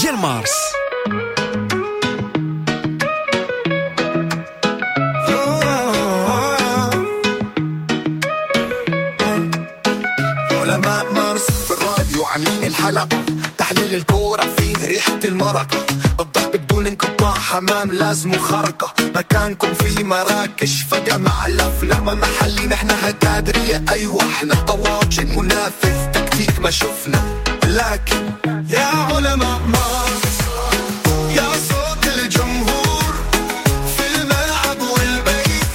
ديال مارس. علماء مارس في الراديو عاملين الحلقة، تحليل الكورة فيه ريحة المرقة، الضحك بدون انقطاع، حمام لازم خرقة، مكانكم في مراكش فجأة مع الأفلام محلي، نحن هكادرية أيوة احنا طواجن منافس تكتيك ما شفنا، لكن يا علماء مارس يا صوت الجمهور في الملعب والبيت،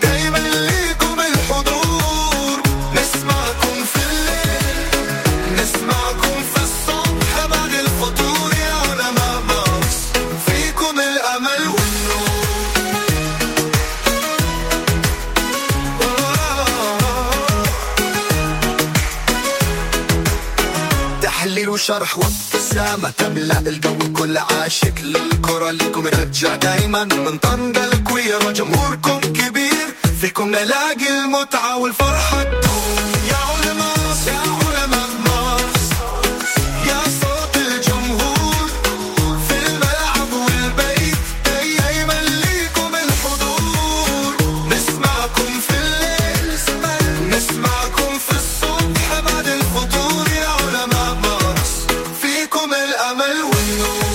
دايما ليكم الحضور، نسمعكم في الليل نسمعكم في الصبح بعد الفطور، يا علماء مارس فيكم الأمل والنور. تحليل وشرح وابتسامة تملأ الجو، كل عاشق للكرة لكم رجع دايما من طنجة الكويرة، جمهوركم كبير فيكم نلاقي المتعة والفرحة تدوم. يا علماء يا علماء مارس يا صوت الجمهور في الملعب والبيت، دايما ليكم الحضور، نسمعكم في الليل نسمعكم في الصبح بعد الفطور، يا علماء مارس فيكم الأمل والنور.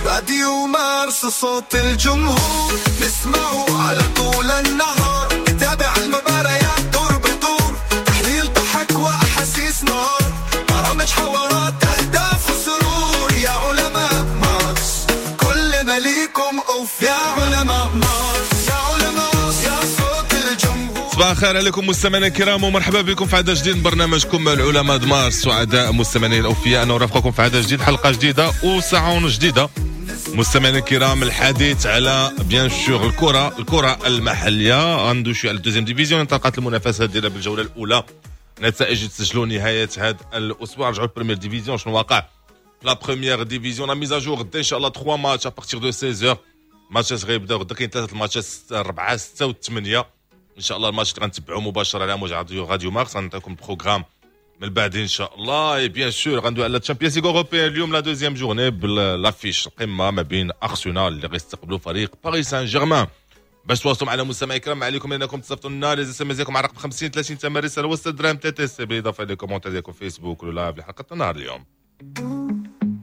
راديو مارس صوت الجمهور، نسمعه على طول النهار، نتابع المباريات دور بدور، تحليل ضحك وأحاسيس نار، برامج حوارات أهداف وسرور، يا علماء مارس كلنا ليكم أوف، يا علماء مارس يا علماء يا صوت الجمهور. صباح الخير عليكم مستمعينا الكرام ومرحبا بكم في عدد جديد من برنامجكم العلماء مارس. سعداء مستمعينا الاوفياء ان نرافقكم في عدد جديد، حلقة جديدة وساعة جديدة. مستمعينا الكرام، الحديث على bien sûr الكره المحلية، غندوي شوية على ال deuxième division، انطلقت المنافسة ديالها بالجولة الاولى، نتائج تسجلوا نهاية هذا الاسبوع. رجعوا ال première division، شنو واقع la première division، la mise à jour غدا ان شاء الله 3 matchs à partir de 16 ماتشات غيبداو غدا، كاين 3 الماتشات 4 6 و8 ان شاء الله. الماتش اللي غنتبعوا مباشرة على موجة راديو مارس، غنعطيكم programme من بعد ان شاء الله. et bien sûr غندوي على Champions League européenne اليوم، la deuxième journée ب l'affiche القمه ما بين ارسنال اللي غيستقبلوا فريق باريس سان جيرمان. باش تواصلوا معنا مستمعي الكرام، عليكم انكم تصيفطوا لنا les SMS ديالكم على رقم 50 30 ثمن رسالة وسط درهم TTC، بالاضافة الى commentaires ديالكم فيسبوك ولا live لحلقة النهار اليوم.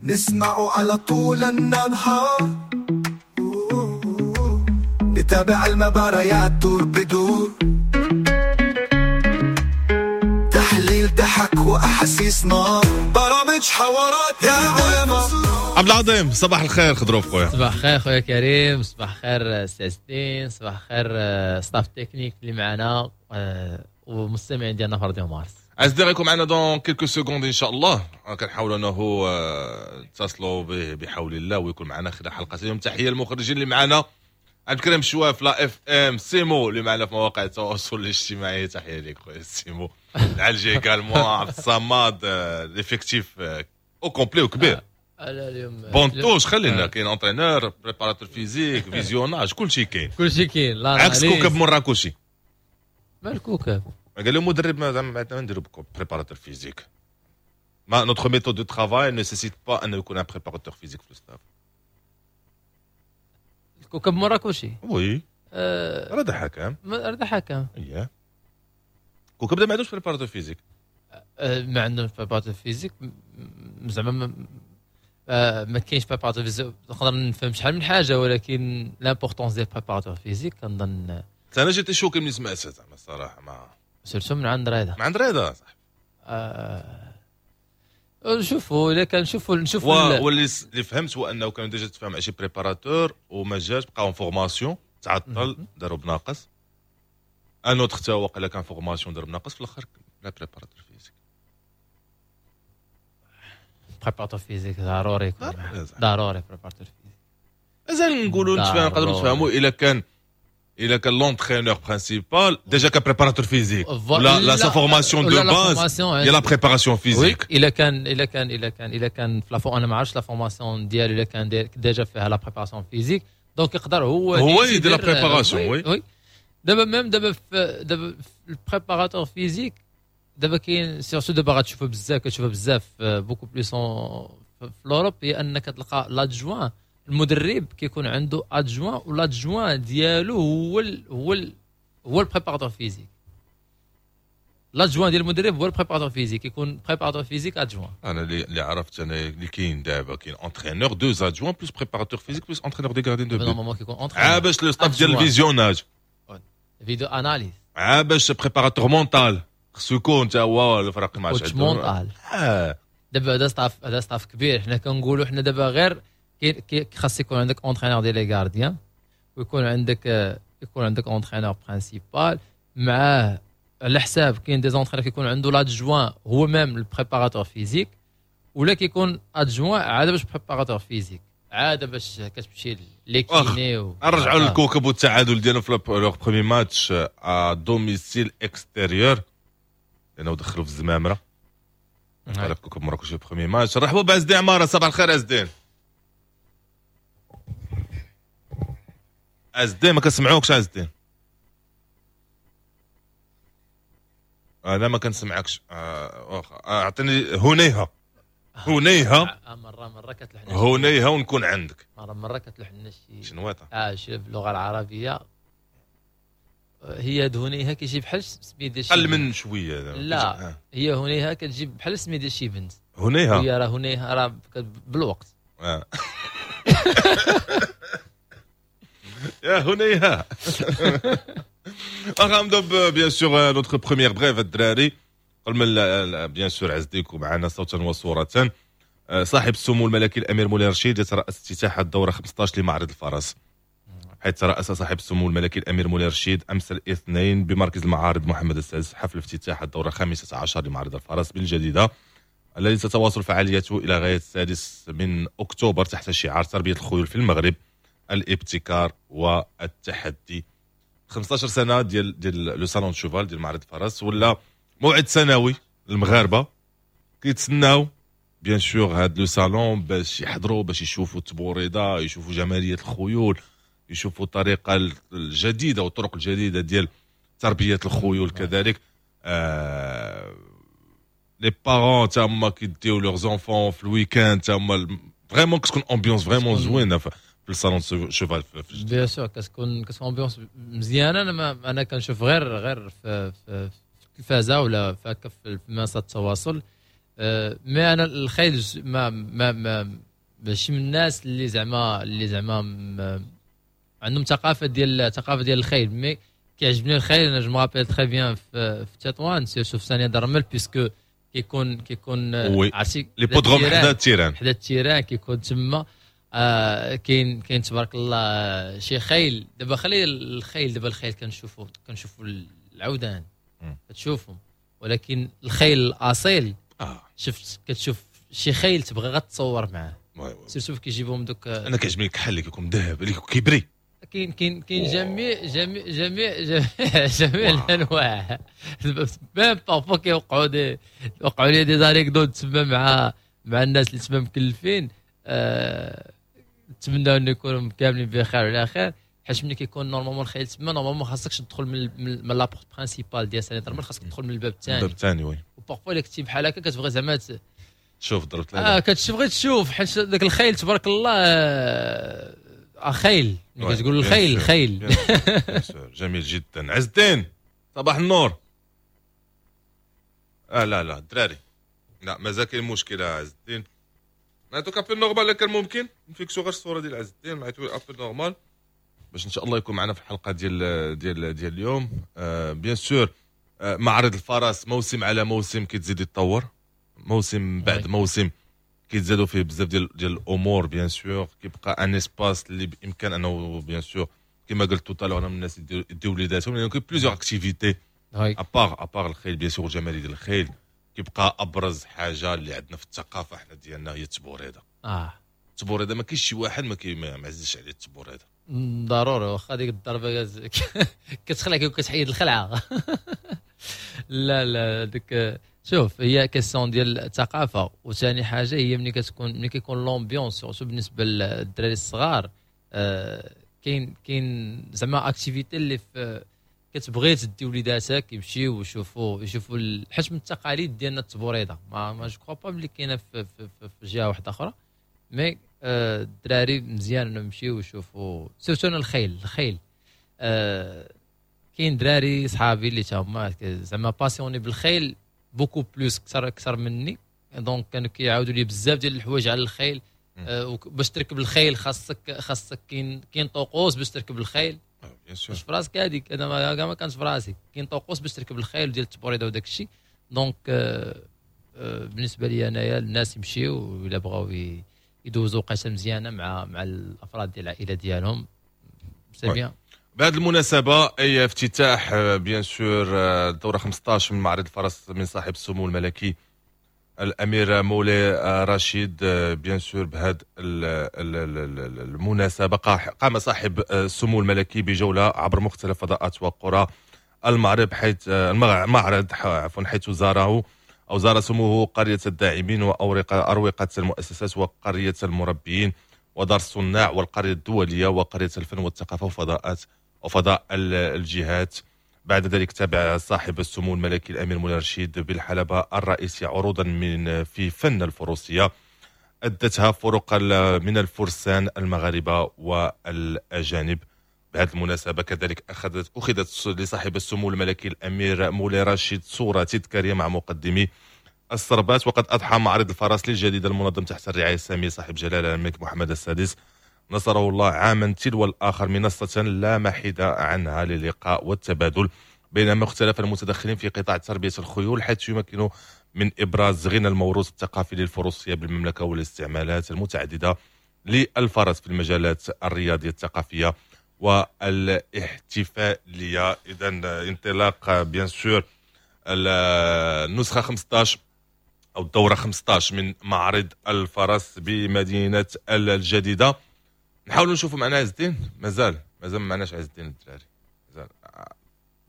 نسمعوا على طول النهار، نتابع المباريات دور بدور، تحليل ضحك وأحاسيس نار، برامج حوارات يا علماء. عبد العظيم صباح الخير، خضروف خويا. صباح الخير خويا كريم، صباح الخير سي ستين، صباح الخير staff technique اللي معنا ومستمعين ديالنا في راديو مارس. عز غيكون معنا dans quelques secondes ان شاء الله، كنحاولوا انه نتصلوا به بحول الله ويكون معنا خلال حلقة اليوم. تحية للمخرجين اللي معنا، عبد الكريم شواف لا اف ام، سيمو اللي معنا في مواقع التواصل الاجتماعي، تحية لك خويا سيمو. العلجي également، عبد الصمد، l'effectif au complet وكبير. اليوم banc de touche خلينا، كاين entraîneur، préparateur physique، visionnage، كلشي كاين، كلشي كاين. لا عكس كوكب مراكشي. مال كوكب؟ قال له مدرب ما نديرو préparateur physique، ما notre méthode de travail nécessite pas انه يكون un préparateur physique في ال staff. كوكب مراكشي oui رضا حكام، رضا حكام اييه. كوكب ما عندوش préparateur physique، ما عندهمش préparateur physique، زعما ما كاينش préparateur physique. نقدر نفهم شحال من حاجة، ولكن l'importance ديال préparateur physique كنظن انا j'étais choqué ملي سمعتها زعما الصراحة، ما surtout من عند رضا، من عند رضا صح. نشوفوا الا كان نشوفوا واللي اللي فهمت هو انه كانوا déjà تفاهم مع شي préparateur وما جاش، بقاو formation تعطل، داروا بناقص. un autre تا هو قال كان formation دار بناقص، في الاخر لا préparateur physique. préparateur physique ضروري، ضروري préparateur physique. مازال نقولوا نقدروا نتفاهموا الا كان l'entraîneur principal déjà كان préparateur physique ولا la sa formation de base هي la préparation physique. الا كان الا كان الا كان الا كان في la انا ما عرفتش la formation ديالو، الا كان déjà فيها la préparation physique donc يقدر هو يدير la préparation. oui دابا même دابا دابا ال préparateur physique دابا كاين surtout دابا غتشوفها بزاف، كتشوفها بزاف beaucoup plus في l'Europe، هي انك تلقى l'adjoint، المدرب كيكون عنده adjoint و l'adjoint ديالو هو ال هو ال هو ال préparateur physique. l'adjoint ديال المدرب هو ال préparateur physique، يكون préparateur physique adjoint. انا اللي عرفت انا اللي كاين دابا، كاين entraîneur، deux adjoints، plus préparateur physique، plus entraîneur des gardiens de but. normalement كيكون entraîneur باش le staff ديال ال visionnage، vidéo analyse. باش préparateur mental خصو يكون تا هو الفرق مع coach mental. دابا هذا staff، هذا staff كبير. حنا كنقولوا حنا دابا غير خاص يكون عندك entraîneur ديال les gardiens، ويكون عندك يكون عندك entraîneur principal معاه. على حساب، كاين des entraîneurs كيكون عنده l'adjoint هو même ال préparateur physique، ولا كيكون adjoint عاد باش préparateur physique، عاد باش كتمشي les kinés و نرجعوا للكوكب والتعادل ديالهم في leur premier match à domicile extérieur، لانه دخلوا في الزمامره فريق كوكب مراكش في premier match. رحبوا بعز الدين عمارة. صباح الخير عز الدين. عز الدين ما كنسمعوكش. عز الدين انا ما كنسمعكش. اعطيني هنيها هنيها. مرة مرة كتلحن هنيها ونكون عندك. مرة مرة كتلحن شي شنويطه شي باللغة العربيه. هي هنيها كيجي بحال سميت ديال شي قل من شويه. لا هي هنيها كتجي بحال سميت ديال شي بنت. هنيها هي راه هنيها راه بالوقت. يا هنيها. غنبداو bien sûr notre première brève الدراري. قبل من bien sûr عز ديكو معنا صوتا وصورة. صاحب السمو الملكي الامير مولاي رشيد يترأس افتتاح الدورة 15 لمعرض الفرس، حيث ترأس صاحب السمو الملكي الامير مولاي رشيد امس الاثنين بمركز المعارض محمد السادس حفل افتتاح الدورة 15 لمعرض الفرس بالجديدة، الذي تتواصل فعاليته الى غاية 6 من اكتوبر تحت شعار تربية الخيول في المغرب، الابتكار والتحدي. 15 سنة ديال le salon cheval ديال معرض الفرس، ولا موعد سنوي للمغاربة كيتسناو bien sûr هاد le salon باش يحضروا، باش يشوفوا التبوريضه، يشوفوا جمالية الخيول، يشوفوا الطريقة الجديدة والطرق الجديدة ديال تربيه الخيول. كذلك les parents تا هما كيديو leurs enfants في ال week-end، تا هما vraiment كتكون ambiance vraiment زوينة في ال salon cheval. bien sûr كتكون ambiance مزيانه. انا انا كنشوف غير في التلفازه ولا في منصات التواصل. mais انا الخيل ما ما ما ماشي من الناس اللي زعما عندهم ثقافة ديال الخيل، mais كيعجبني الخيل. انا je me rappelle très bien في تطوان surtout في سانية درمل، puisque كيكون عرفتي l'hippodrome حدا ال terrain، حدا ال terrain كيكون تما. كاين تبارك الله شي خيل. دابا خلي الخيل، دابا الخيل كنشوفوا العودان كتشوفهم، ولكن الخيل الاصيل شفت كتشوف شي خيل تبغي غتصور معاه، surtout كيجيبهم دوك. انا كيعجبني الكحل اللي كيكون ذهب اللي كيبري. كاين كاين كاين جميع جميع جميع جميع جميع الانواع. même parfois كيوقعوا des وقعوا لي des anecdotes تما مع الناس اللي تما مكلفين. نتمنى ان يكونوا كاملين بخير وعلى خير، حيت ملي كيكون normalement الخيل تما normalement خاصكش تدخل من la porte principale ديال سانية الرمل، خاصك تدخل من الباب الثاني. الباب الثاني oui. و parfois الا كنتي بحال هكا كتبغي زعما تشوف ضربت كتبغي تشوف، حيت داك الخيل تبارك الله خيل، ملي كتقول الخيل خيل. جميل جدا. عز الدين صباح النور. لا لا الدراري لا مازال كاين مشكلة عز الدين. نعطوك appel normal كان ممكن نفيكسو غير الصورة ديال عز الدين، نعطيو appel normal باش ان شاء الله يكون معنا في الحلقة ديال ديال ديال اليوم. bien sûr معرض الفرس موسم على موسم كيتزيد يتطور، موسم بعد موسم كيتزادوا فيه بزاف ديال الامور. bien sûr كيبقى un espace اللي بامكان انه bien sûr كما قلت tout à l'heure انا من الناس يديو وليداتهم، لانه كاين plusieurs activités à part الخيل. bien sûr الجمالي ديال الخيل كيبقى ابرز حاجة اللي عندنا في الثقافة حنا ديالنا هي التبوريده. التبوريده ما كاينش شي واحد ما عزيزش عليه التبوريده. ضروري، واخا ديك الضربة كتخلعك وكتحيد الخلعة. لا لا ديك شوف هي question ديال الثقافة. وثاني حاجة هي ملي كيكون l'ambiance surtout بالنسبة للدراري الصغار. كاين زعما activité اللي كتبغي تدي وليداتك يمشيو يشوفوا حيت من التقاليد ديالنا التبوريده، ما je crois pas بلي كاينه في جهة واحدة اخرى، mais الدراري مزيان انهم يمشيو يشوفوا، surtout انا الخيل. كاين دراري صحابي اللي تا هما زعما passionnés بالخيل beaucoup plus، اكثر مني، donc كانوا كيعاودوا لي بزاف ديال الحوايج على الخيل. باش تركب الخيل خاصك كاين طقوس باش تركب الخيل. bien sûr. واش في راسك هذيك؟ انا ما كانش في راسي كاين طقوس باش تركب الخيل ديال التبوريده وداك الشيء. donc بالنسبة لي انايا الناس يمشيو الا بغاو يدوزوا وقيته مزيانه مع الافراد ديال العائلة ديالهم، c'est bien. بهذه المناسبة، أي افتتاح bien sûr الدورة 15 من معرض الفرس من صاحب السمو الملكي الأمير مولاي رشيد. bien sûr بهذه المناسبة قام صاحب السمو الملكي بجولة عبر مختلف فضاءات وقرى المعرض، حيث المعرض عفوا، حيث زاره أو زار سموه قرية الداعمين وأروقة المؤسسات وقرية المربيين ودار الصناع والقرية الدولية وقرية الفن والثقافة وفضاءات وفضاء الجهات. بعد ذلك تابع صاحب السمو الملكي الأمير مولاي رشيد بالحلبة الرئيسية عروضا من في فن الفروسية أدتها فرق من الفرسان المغاربة والأجانب. بهذه المناسبة كذلك أخذت لصاحب السمو الملكي الأمير مولاي رشيد صورة تذكارية مع مقدمي الصربات. وقد أضحى معرض الفرس للجديدة المنظم تحت الرعاية السامية صاحب جلالة الملك محمد السادس نصره الله عاما تلو الآخر منصة لا محيد عنها للقاء والتبادل بين مختلف المتدخلين في قطاع تربية الخيول، حيث يمكن من إبراز غنى الموروث الثقافي للفروسية بالمملكة والاستعمالات المتعددة للفرس في المجالات الرياضية، الثقافية والاحتفالية. إذا انطلاق bien sûr النسخة 15 أو الدورة 15 من معرض الفرس بمدينة الجديدة. نحاولوا نشوفوا معنا عز الدين. مازال ما معناش عز الدين الدراري، مازال.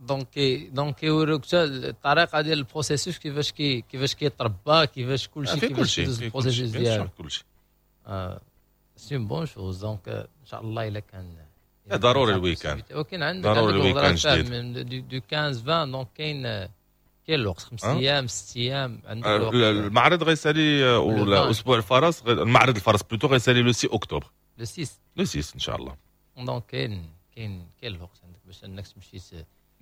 donc كيوروك حتى الطريقة ديال ال processus، كيفاش كيتربى، كيفاش كلشي. في كل شيء. ال processus ديالو. كل شيء. c'est une bonne chose، donc ان شاء الله الا كان ضروري ال week-end. ولكن عندك ضروري ال week-end جديد du 15 20، donc كاين الوقت، 5 ايام، 6 ايام عندك الوقت. المعرض غيسالي ولا اسبوع الفرس، المعرض الفرس plutôt غيسالي le 6 اكتوبر. le 6. le 6 ان شاء الله. donc كاين الوقت عندك باش انك تمشي.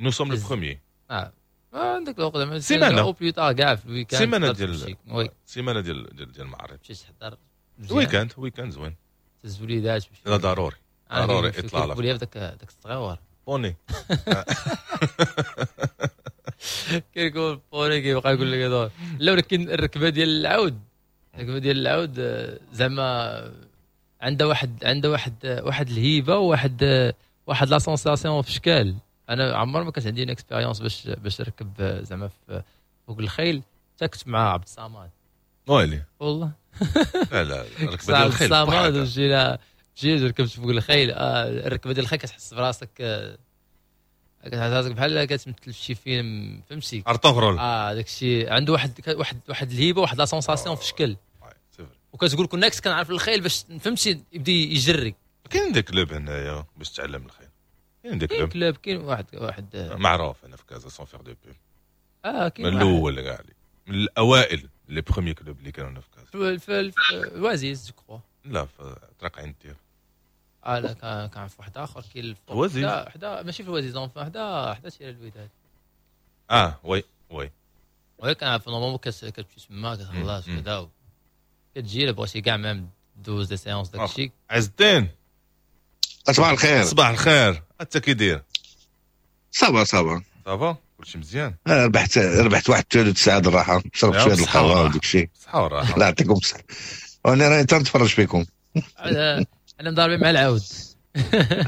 nous sommes le premier. اه، عندك الوقت زعما. سيمانه au plus tard كاع في ال week-end. سيمانه ديال سيمانه ديال المعرض. تمشي تحضر. week-end، week-end زوين. تهز وليدات. لا، ضروري ضروري اطلالة. في داك الصغيور. poney. كيقول poney، كيبقى يقول لك هذا. لا، ولكن الركبه ديال العود زعما عندها واحد الهيبة وواحد واحد la sensation في شكال. انا عمر ما كانت عندي expérience باش نركب زعما فوق الخيل، حتى كنت مع عبد الصمد. ويلي! والله. لا لا، الركبة ديال الخيل. عبد الصمد، مشينا، مشيت ركبت فوق الخيل. الركبة ديال الخيل كتحس براسك بحال كتمثل في شي فيلم، فهمتي؟ ارطغرل. اه، داك الشيء عنده واحد الهيبه، واحد la sensation في شكل، وكتقول كون كنت كنعرف الخيل باش، فهمتي، يبدا يجري. كاين des clubs هنايا باش تعلم الخيل، كاين des clubs. club، كاين واحد معروف انا في كازا، sans faire de pub. اه، كاين. من الاول كاع، من الاوائل، les premiers clubs اللي كانوا هنا في كازا. في الوازيز je crois. لا، في طريق عين الدير. اه لا، كان في واحد اخر كاين. وزيز. حدا، ماشي في الوازيز، حدا terrain الوداد. اه oui. oui، كنعرف. normalement كتمشي تما، كتخلص كذا، كتجي الا بغيتي كاع même دوز des séances داك الشيء. عز الدين. صباح الخير. صباح الخير، انت كي داير؟ ça va، ça va. ça va، كلشي مزيان. ربحت واحد 3 ساعات الراحه، شربت شوية القهوة وداك الشيء. صحة والراحه. الله يعطيكم الصحه، وانا راني تنتفرج فيكم. انا مضاربين مع العود.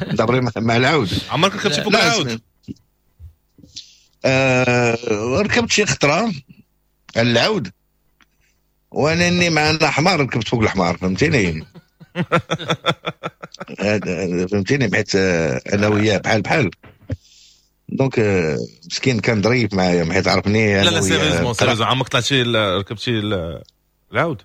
مضاربين مع العود. عمرك ركبتي فوق العود؟ ركبت شي خطره على العود، وانا اني معنا حمار، ركبت فوق الحمار، فهمتيني؟ فهمتيني؟ حيت انا وياه بحال بحال، donc مسكين كان ظريف معايا حيت عرفني. لا لا، sérieusement sérieusement، عمرك طلعتي ركبتي العود؟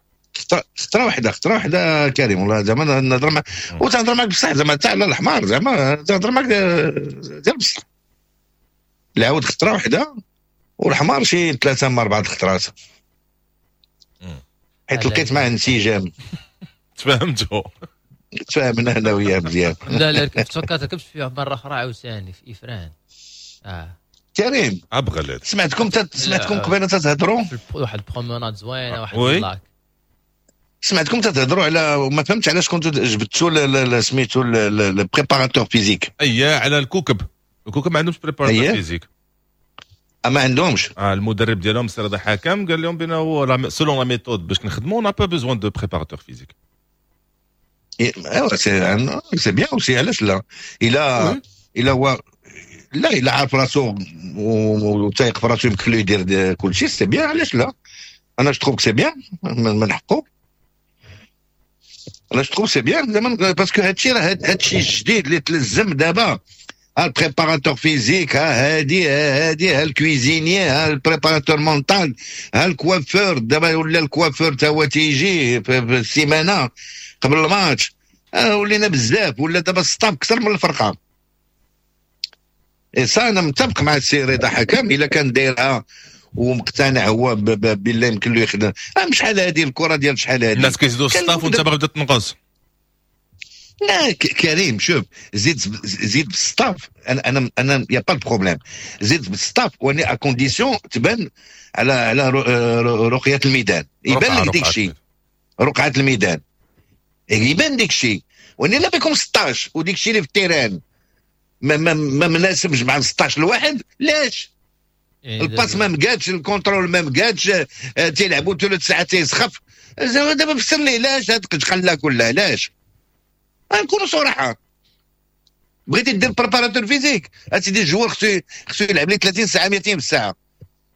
خطره واحده، خطره واحدة كريم، والله زعما نهضر معك وتهضر معك بصح، زعما تاع على الحمار، زعما تهضر معك ديال بصح. العود خطره واحدة والحمار شي ثلاثة من اربعة الخطرات، حيت لقيت معاه انسجام. تفاهمتوا؟ تفاهمنا انا وياه مزيان. لا لا، ركبت، فكرت ركبت فيها مرة اخرى عاوتاني في افران. كريم ابغلت. سمعتكم قبيلة تتهضروا واحد promenade زوينه، واحد ال lac. سمعتكم تتهضروا على، ما فهمتش علاش كنتوا جبدتوا سميتو ال préparateur physique. اييه، على الكوكب. الكوكب ما عندهمش préparateur physique. ما عندهمش. المدرب ديالهم سي رضا حكم قال لهم بانه selon la méthode باش نخدموا on n'a pas besoin de préparateur physique. ايوا c'est bien aussi، علاش لا؟ الا هو لا الا عارف راسو وتايق في راسو يمكن له يدير كل شيء، c'est bien، علاش لا؟ انا je trouve c'est bien، من حقه. انا je trouve c'est bien زعما، parce que هادشي راه هادشي الجديد اللي تلزم دابا، ها ال préparateur physique، ها هادي، ها هادي، ها ال cuisinier، ها ال préparateur mental، ها الكوافور. دابا ولا الكوافور تا هو تيجي في السيمانة قبل الماتش. ولينا بزاف، ولا دابا staff اكثر من الفرقه. et ça انا متفق مع السي رضا حكم، الا كان دايرها ومقتنع هو بالله يمكن له يخدم. شحال هذه الكره ديال شحال هذه الناس كيزيدوا staff وانت باغي تبدا تنقص. لا كريم، شوف، زيد زيد بال staff، انا y a pas problème، زيد بال staff ولكن à condition تبان على رقيه الميدان، يبان لك ديك الشيء، رقعه الميدان يبان ديك الشيء. ولكن لا بكم 16 وديك الشيء اللي في ال terrain ما مناسبش مع 16 الواحد، لاش؟ يعني ال passe ما مقادش، ال contrôle ما مقادش، تيلعبوا ثلث ساعات تيسخف. دابا فسر لي علاش هاد القلة كلها؟ علاش؟ نكونوا صراحه، بغيتي دير préparateur physique اسيدي، ال joueur خصو يلعب لي 30 ساعه، 200 في الساعه.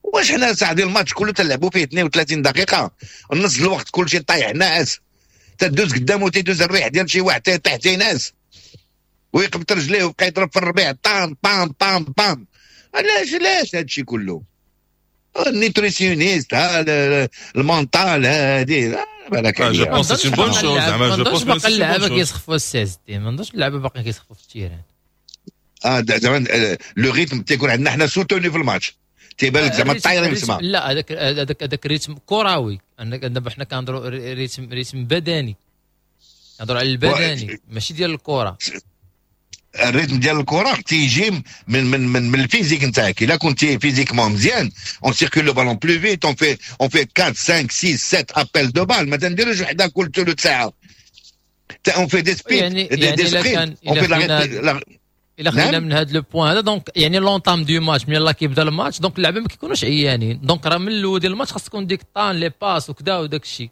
واش حنا ساعة ديال الماتش كله تلعبوا فيه 32 دقيقه، النص الوقت كلشي طايح ناعس، تدوز قدامه تيدوز الريح ديال شي واحد تيطيح تينعس ويقبط رجليه ويبقى يضرب في الربيع طام طام طام طام. علاش؟ علاش هادشي كله؟ ال nutritionniste، ها ال mental، هادي بالك. je pense c'est bonne chose زعما، je pense باقي اللعابه كيسخفوا السي دي، ما نظنش اللعابه باقي كيسخفوا في ال terrain. زعما le rythme تيكون عندنا حنا soutenu في الماتش، تيبان لك زعما الطايرين في السماء. لا، هذاك rythme كروي، دابا حنا كنهضروا rythme بدني، كنهضروا على البدني ماشي ديال الكره. ال rythme ديال الكره تيجي من ال physique نتاعك. الا كنتي physiquement مزيان، on circule le ballon plus vite، on fait 4 5 6 7 appels de balle، ما تنديروش وحده كل ثلث ساعه، on fait des sprints. يعني الا كان الا خدينا من هذا le point هذا، donc يعني l'entame du match، من يلاه كيبدا الماتش، donc اللعابه ما كيكونوش عيانين، donc راه من الاول ديال الماتش خاص تكون ديك طان les passes وكذا وداك الشيء.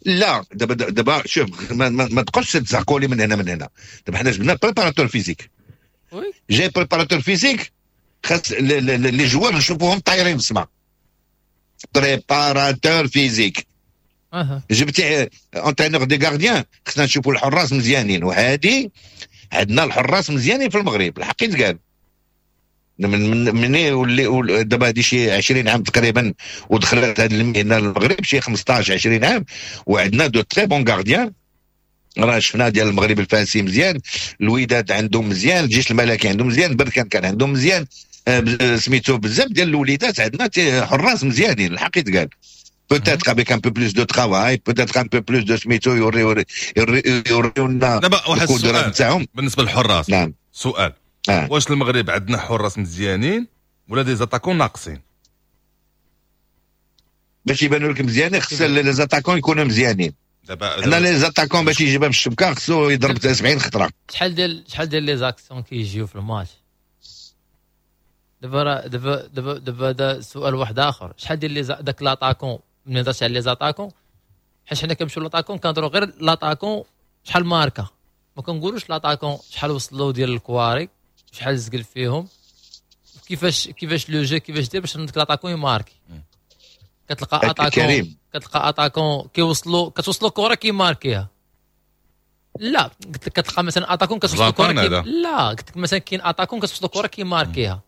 لا، دابا شوف، ما تبقاش تزعقوا لي من هنا من هنا. دابا حنا جبنا préparateur physique، جاي préparateur physique، خاص les joueurs نشوفوهم طايرين في السماء. préparateur physique، جبتي entraîneur des gardiens، خصنا نشوفوا الحراس مزيانين. وهذه عندنا الحراس مزيانين في المغرب، الحق يتقال، من واللي دابا هذه شي 20 عام تقريبا ودخلت هذه المهنة للمغرب، شي 15 20 عام، وعندنا de très bons gardiens. راه شفنا ديال المغرب الفاسي مزيان، الوداد عندهم مزيان، الجيش الملكي عندهم مزيان، بركان كان عندهم مزيان، سميتو بزاف ديال الوليدات عندنا حراس مزيانين، الحق يتقال. peut-être avec un peu plus de travail، peut-être un peu plus de سميتو يوريونا. دابا واحد السؤال نتاعهم. بالنسبة للحراس. نعم. سؤال. واش المغرب عندنا حراس مزيانين ولا des attaquants ناقصين؟ باش يبانوا لك مزيانين خص les attaquants يكونوا مزيانين. دابا حنا les attaquants باش يجيبها في الشبكة خصو يضرب 70 خطره. شحال ديال les actions كيجيو في الماتش دابا؟ دابا هذا سؤال واحد اخر. شحال ديال les داك l'attaquant، ملي هضرت على les attaquants، حيت حنا كنمشيو l'attaquant كنهضروا غير l'attaquant شحال ماركا، ما كنقولوش l'attaquant شحال وصلوا ديال الكواري، شحال زقل فيهم، كيفاش le jeu كيفاش دير باش داك l'attaquant يماركي. كتلقى attaquant، كتلقى attaquant كيوصلوا، كتوصلوا كره كيماركيها. لا، قلت لك كتلقى مثلا attaquant كتوصلوا كره لا، قلت لك مثلا كاين attaquant كتوصلوا كره كيماركيها،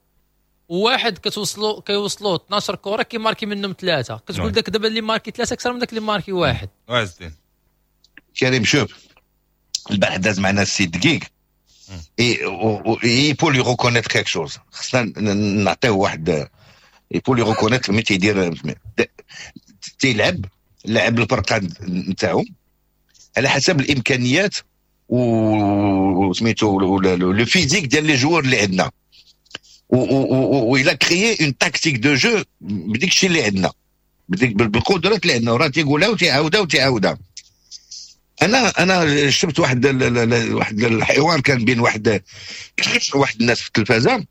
وواحد كتوصلوا كيوصلوا 12 كره كيماركي منهم ثلاثه. كتقول داك دابا اللي ماركي ثلاثة اكثر من داك اللي ماركي واحد. كريم، شوف، البارح داز معنا السي دقيق. il faut lui reconnaître quelque chose، خصنا نعطيوه واحد، il faut lui reconnaître ملي تيدير تيلعب لعب الفرقة نتاعو على حسب الامكانيات و سميتو le physique ديال les joueurs اللي عندنا، و il a créé une tactique de jeu بديك الشيء اللي عندنا، بديك بالقدرات اللي عندنا، وراه تيقولها وتيعاودها وتيعاودها. انا شفت واحد الحوار كان بين واحد الناس في التلفازه،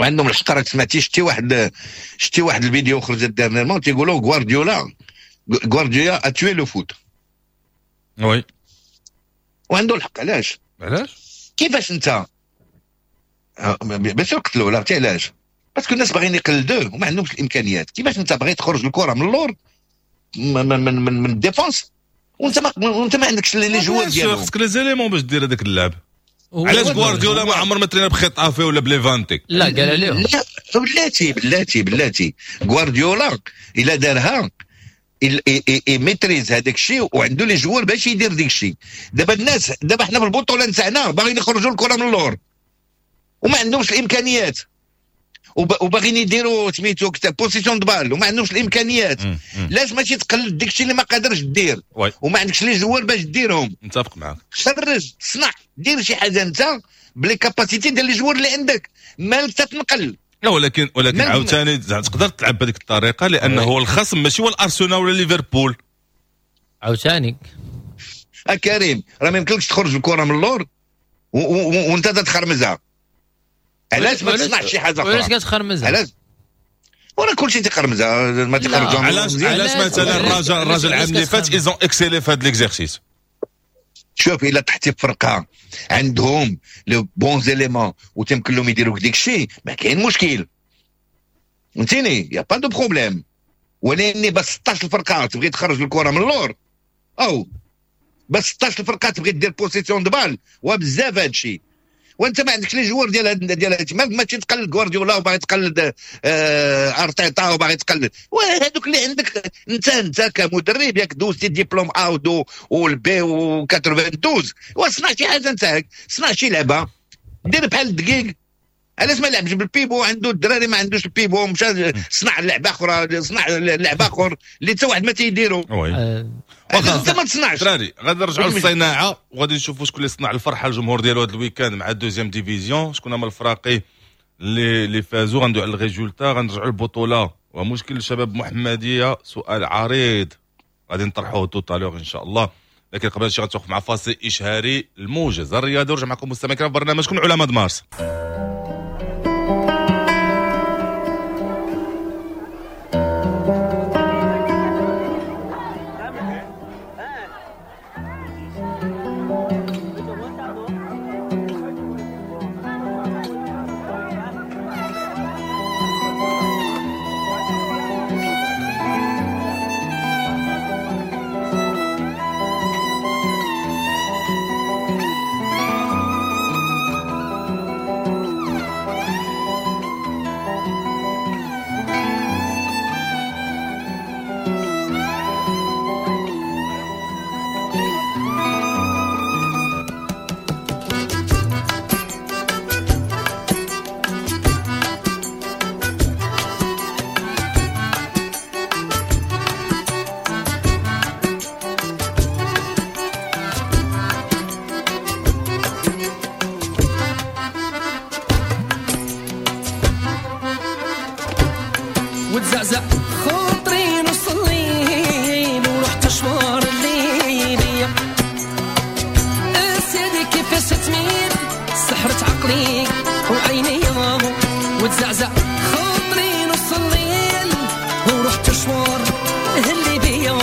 وعندهم الحق. راك سمعتي، شتي واحد الفيديو خرجت dernièrement، تيقولوا غوارديولا a tué le foot. oui. وعنده الحق. علاش؟ علاش؟ كيفاش انت باش قتلوا؟ لا، عرفتي علاش؟ parce que الناس باغيين يقلدوه وما عندهمش الامكانيات. كيفاش انت باغي تخرج الكره من اللور من ال défense وانت ما عندكش les joueurs ديالو؟ خصك les éléments باش دير هذاك اللعب. علاش غوارديولا ما عمر ما ترينا بخيتافي ولا بليفانتي؟ لا، قال عليهم. لا، بلاتي بلاتي بلاتي، غوارديولا الا دارها maîtrise هذاك الشيء وعنده les joueurs باش يدير ديك الشيء. دابا الناس، دابا حنا في البطولة نتاعنا باغيين يخرجوا الكره من اللور وما عندهمش الامكانيات، وباغيين يديروا سميتو possession de balle وما عندهمش الامكانيات. لاش ماشي تقلد ديك الشيء اللي ما قادرش دير وما عندكش les joueurs باش ديرهم؟ متفق معاك. خرج، صنع، دير شي حاجة انت ب les capacités ديال les joueurs اللي عندك، مالك تتنقل؟ لا، ولكن عاوتاني تقدر تلعب بهذيك الطريقة لانه هو الخصم ماشي هو الارسنال ولا ليفربول. عاوتاني. كريم، راه ما يمكنلكش تخرج الكره من اللور وانت تخرمزها. علاش ما تصنعش شي حاجة اخرى؟ علاش كتخرمزها؟ علاش؟ وراه كلشي تيخرمزها، ما تيخرجوها. علاش مثلا الرجاء العام اللي فات ils ont excellé في هذا l'exercice. شوف، الا طحتي في فرقه عندهم les bons éléments وتمكن لهم يديروا ديك الشيء، ما كاين مشكل، فهمتيني؟ y a pas de problème. ولكن بس 16 الفرقة تبغي تخرج الكره من اللور، او بس 16 الفرقة تبغي دير possession de balle، وبزاف هذا الشيء، وانت ما عندكش les joueurs ديال هاد. ماشي تقلد غوارديولا وباغي تقلد ارتيتا وباغي تقلد، وهذوك اللي عندك انت كمدرب، ياك دوزتي diplôme A و وال B و 92، وصنع شي حاجة نتاعك، صنع شي لعبه، دير بحال الدقيق. علاش ما لعبش بال pivot؟ عنده الدراري، ما عندوش ال pivot، مشى صنع لعبه اخرى، صنع لعبه اخر اللي حتى واحد ما تيديرو. انت ما تصنعش. دراري، غادي نرجعوا للصناعة وغادي نشوفوا شكون اللي صنع الفرحة للجمهور ديالو هذا ال week-end مع ال deuxième division، شكون هما الفراقي اللي فازوا، غندوي على ال résultats، غنرجعوا للبطولة ومشكل الشباب محمديه، سؤال عريض غادي نطرحوه tout à l'heure ان شاء الله. لكن قبل شي غنتوقف مع فاصل اشهاري، الموجز الرياضي، ورجع معكم مستمعين في برنامجكم علماء مارس. وتزعزع خاطري نص الليل ورحت شوار الليلية، سيدي كيفاش تميل سحرت عقلي وعيني، وتزعزع خاطري نص الليل ورحت شوار اللي بيا،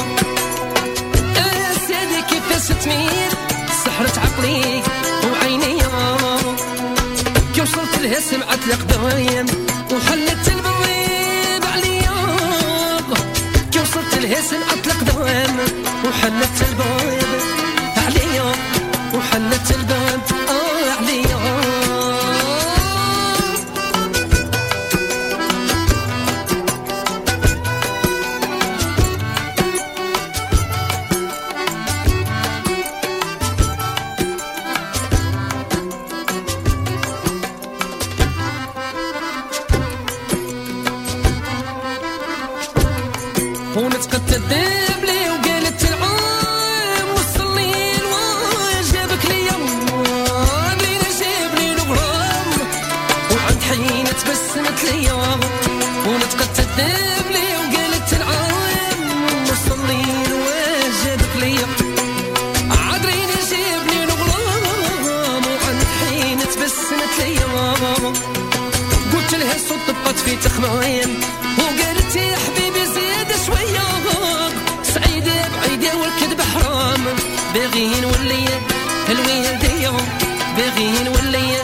سيدي كيفاش تميل سحرت عقلي وعيني. كي وصلت لها سمعت القدايم وحلت البويب عليا، كي وصلت لها سمعت القدام وحلت الباب عليا، وحلت الباب عليا. ونتقت الذيب لي وقالت العام وصلي وجابك ليا لينا جاب لي الغرام وعند حين تبسمت ليا ونتقت الذيب لي وقالت العام وصلي وجابك ليا عذريني جاب لي الغرام وعند حين تبسمت ليا قلت لها الصوت بقات في تخمايم وقالت يا حبيبي زيادة شوية سعيدة بعيدة والكذب حرام باغي نولي الوالدية باغي نولي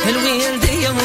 الوالدية.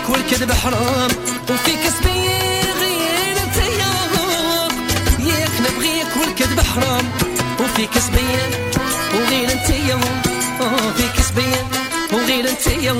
والكذب حرام وفيك سبي غير انتيا ياك نبغيك والكذب حرام وفيك سبي وغير انتيا فيك سبي وغير انتيا.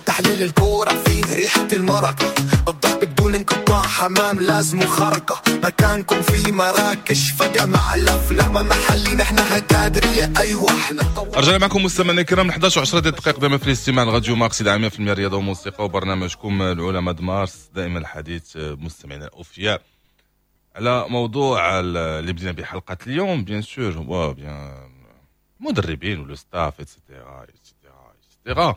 تحليل الكورة فيه ريحة المرق، الضرب بدون انقطاع، حمام لازم خرقة، مكانكم في مراكش فجمع الأفلام محلي، نحن هكادرية أيوة احنا. رجعنا معكم مستمعينا الكرام 11 و10 دقائق دائما في الاستماع لراديو مارس 100% رياضة وموسيقى وبرنامجكم العلماء د مارس. دائما الحديث مستمعينا الأوفياء على موضوع اللي بدينا بحلقة اليوم، bien sûr هو bien مدربين و le staff et cetera et cetera et cetera.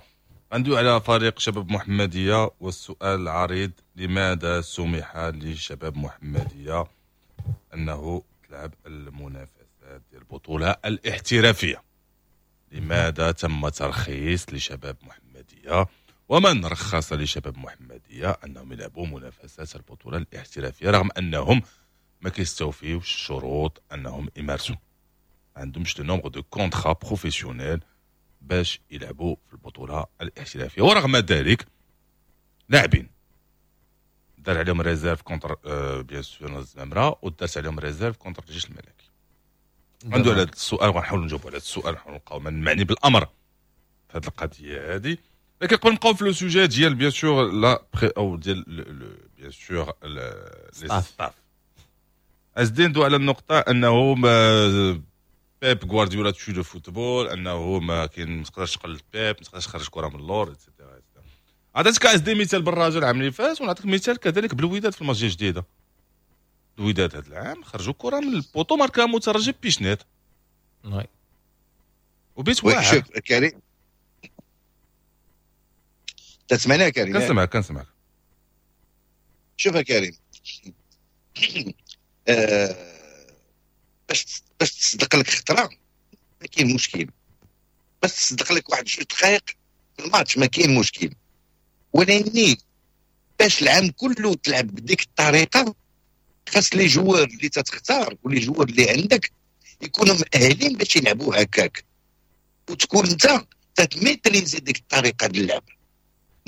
غندوي على فريق شباب محمدية والسؤال العريض، لماذا سمح لشباب محمدية أنه تلعب المنافسات ديال البطولة الاحترافية؟ لماذا تم ترخيص لشباب محمدية ومن رخص لشباب محمدية أنهم يلعبوا منافسات البطولة الاحترافية رغم أنهم ما كيستوفيوش الشروط أنهم يمارسوا، ما عندهمش le nombre de contrats professionnels باش يلعبوا في البطولة الاحترافية، ورغم ذلك لاعبين دار عليهم réserve contre bien sûr الزمامرة ودارت عليهم réserve contre الجيش الملكي. عنده على هذا السؤال وغنحاولوا نجاوبوا على هذا السؤال، نحاولوا نلقاو من معني بالامر في هذه القضية هذه. لكن قبل نبقاو في le sujet ديال bien sûr la pré او ديال bien sûr les staffs، ازدين دو على النقطة انه بيب غوارديولا tue le football، انه ما كاين ما تقدرش تقلد بيب، ما تقدرش تخرج كره من اللور et cetera. عطيتك اس دي مثال بالرجاء العام اللي فات، ونعطيك مثال كذلك بالوداد في الماتش الجديدة. الوداد هذا العام خرجوا كره من ال poteau ماركا مترجي بيشنيت. وبيت واعر. شوف كريم، تسمعني كريم؟ كنسمعك كنسمعك. شوف يا كريم، باش تصدق لك خطره ما كاين مشكل، باش تصدق لك واحد جوج دقائق في الماتش ما كاين مشكل، ولكن باش العام كله تلعب بديك الطريقة خاص les joueurs اللي تتختار و les joueurs اللي عندك يكونوا مؤهلين باش يلعبوا هكاك، وتكون انت تت maîtriser ديك الطريقة ديال اللعب.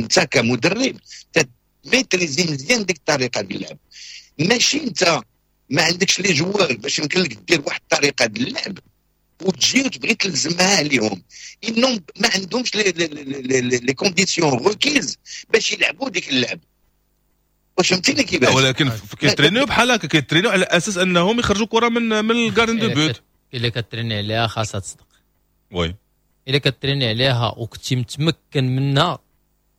انت كمدرب تت maîtriser مزيان ديك الطريقة ديال اللعب، ماشي انت ما عندكش les joueurs باش يمكن لك دير واحد الطريقة ديال اللعب وتجي وتبغي تلزمها عليهم، انهم ما عندهمش les conditions requises باش يلعبوا ديك اللعب. واش فهمتيني كيفاش؟ ولكن كيترينيو بحال هكا، كيترينيو على اساس انهم يخرجوا كره من ال gardien de but. الا كتريني عليها خاصها تصدق. oui، الا كتريني عليها وكنتي متمكن منها.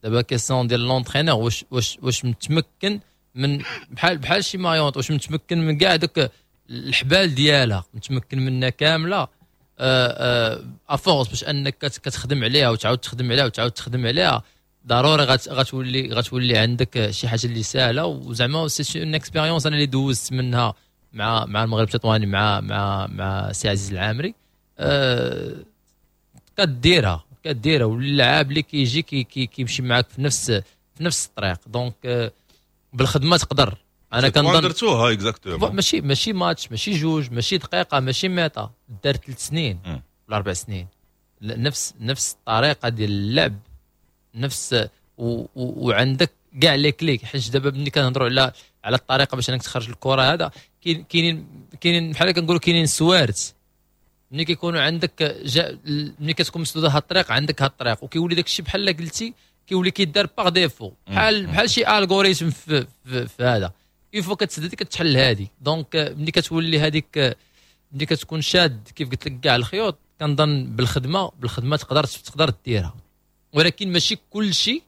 دابا question ديال l'entraîneur، واش متمكن من بحال شي مايونت، واش متمكن من كاع دوك الحبال ديالها، متمكن منها كاملة à force باش انك كتخدم عليها وتعاود تخدم عليها وتعاود تخدم عليها، ضروري غتولي عندك شي حاجة اللي سهله. وزعما c'est une expérience انا اللي دوزت منها مع المغرب التطواني، مع سي عزيز العامري. كديرها واللاعب اللي كيجي كي كي كيمشي معاك في نفس الطريق. donc بالخدمة تقدر. انا كنظن درتوها exactement. ماشي ماتش، ماشي جوج، ماشي دقيقه، ماشي mi-temps، دار 3 سنين ولا 4 سنين نفس الطريقة ديال اللعب، نفس وعندك كاع les clés. حيت دابا ملي كنهضروا على الطريقة باش انك تخرج الكره، هذا كاينين بحال كنقولوا كاينين سوارت. ملي كيكونوا عندك ملي كتكون مسدودة هاد الطريق، عندك هاد الطريق، وكيولي داك الشيء بحال قلتي كيولي كيدار par défaut، بحال شي algorithme في هذا، une fois كتسد هذيك كتحل هادي. donc ملي كتولي هذيك، ملي كتكون شاد كيف قلت لك كاع الخيوط، كنظن بالخدمه تقدر ديرها. ولكن ماشي كل شيء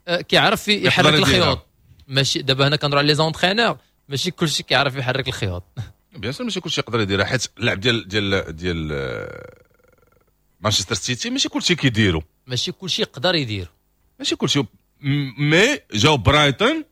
كيعرف يحرك الخيوط. ماشي دابا هنا كنهضروا على les entraîneurs، ماشي كل شيء كيعرف يحرك الخيوط. bien sûr، ماشي كل شيء يقدر يديرها، حيت اللعب ديال مانشستر سيتي ماشي كل شيء كيديروا. ماشي كل شيء يقدر يدير. ماشي كل شيء، mais جاو برايتون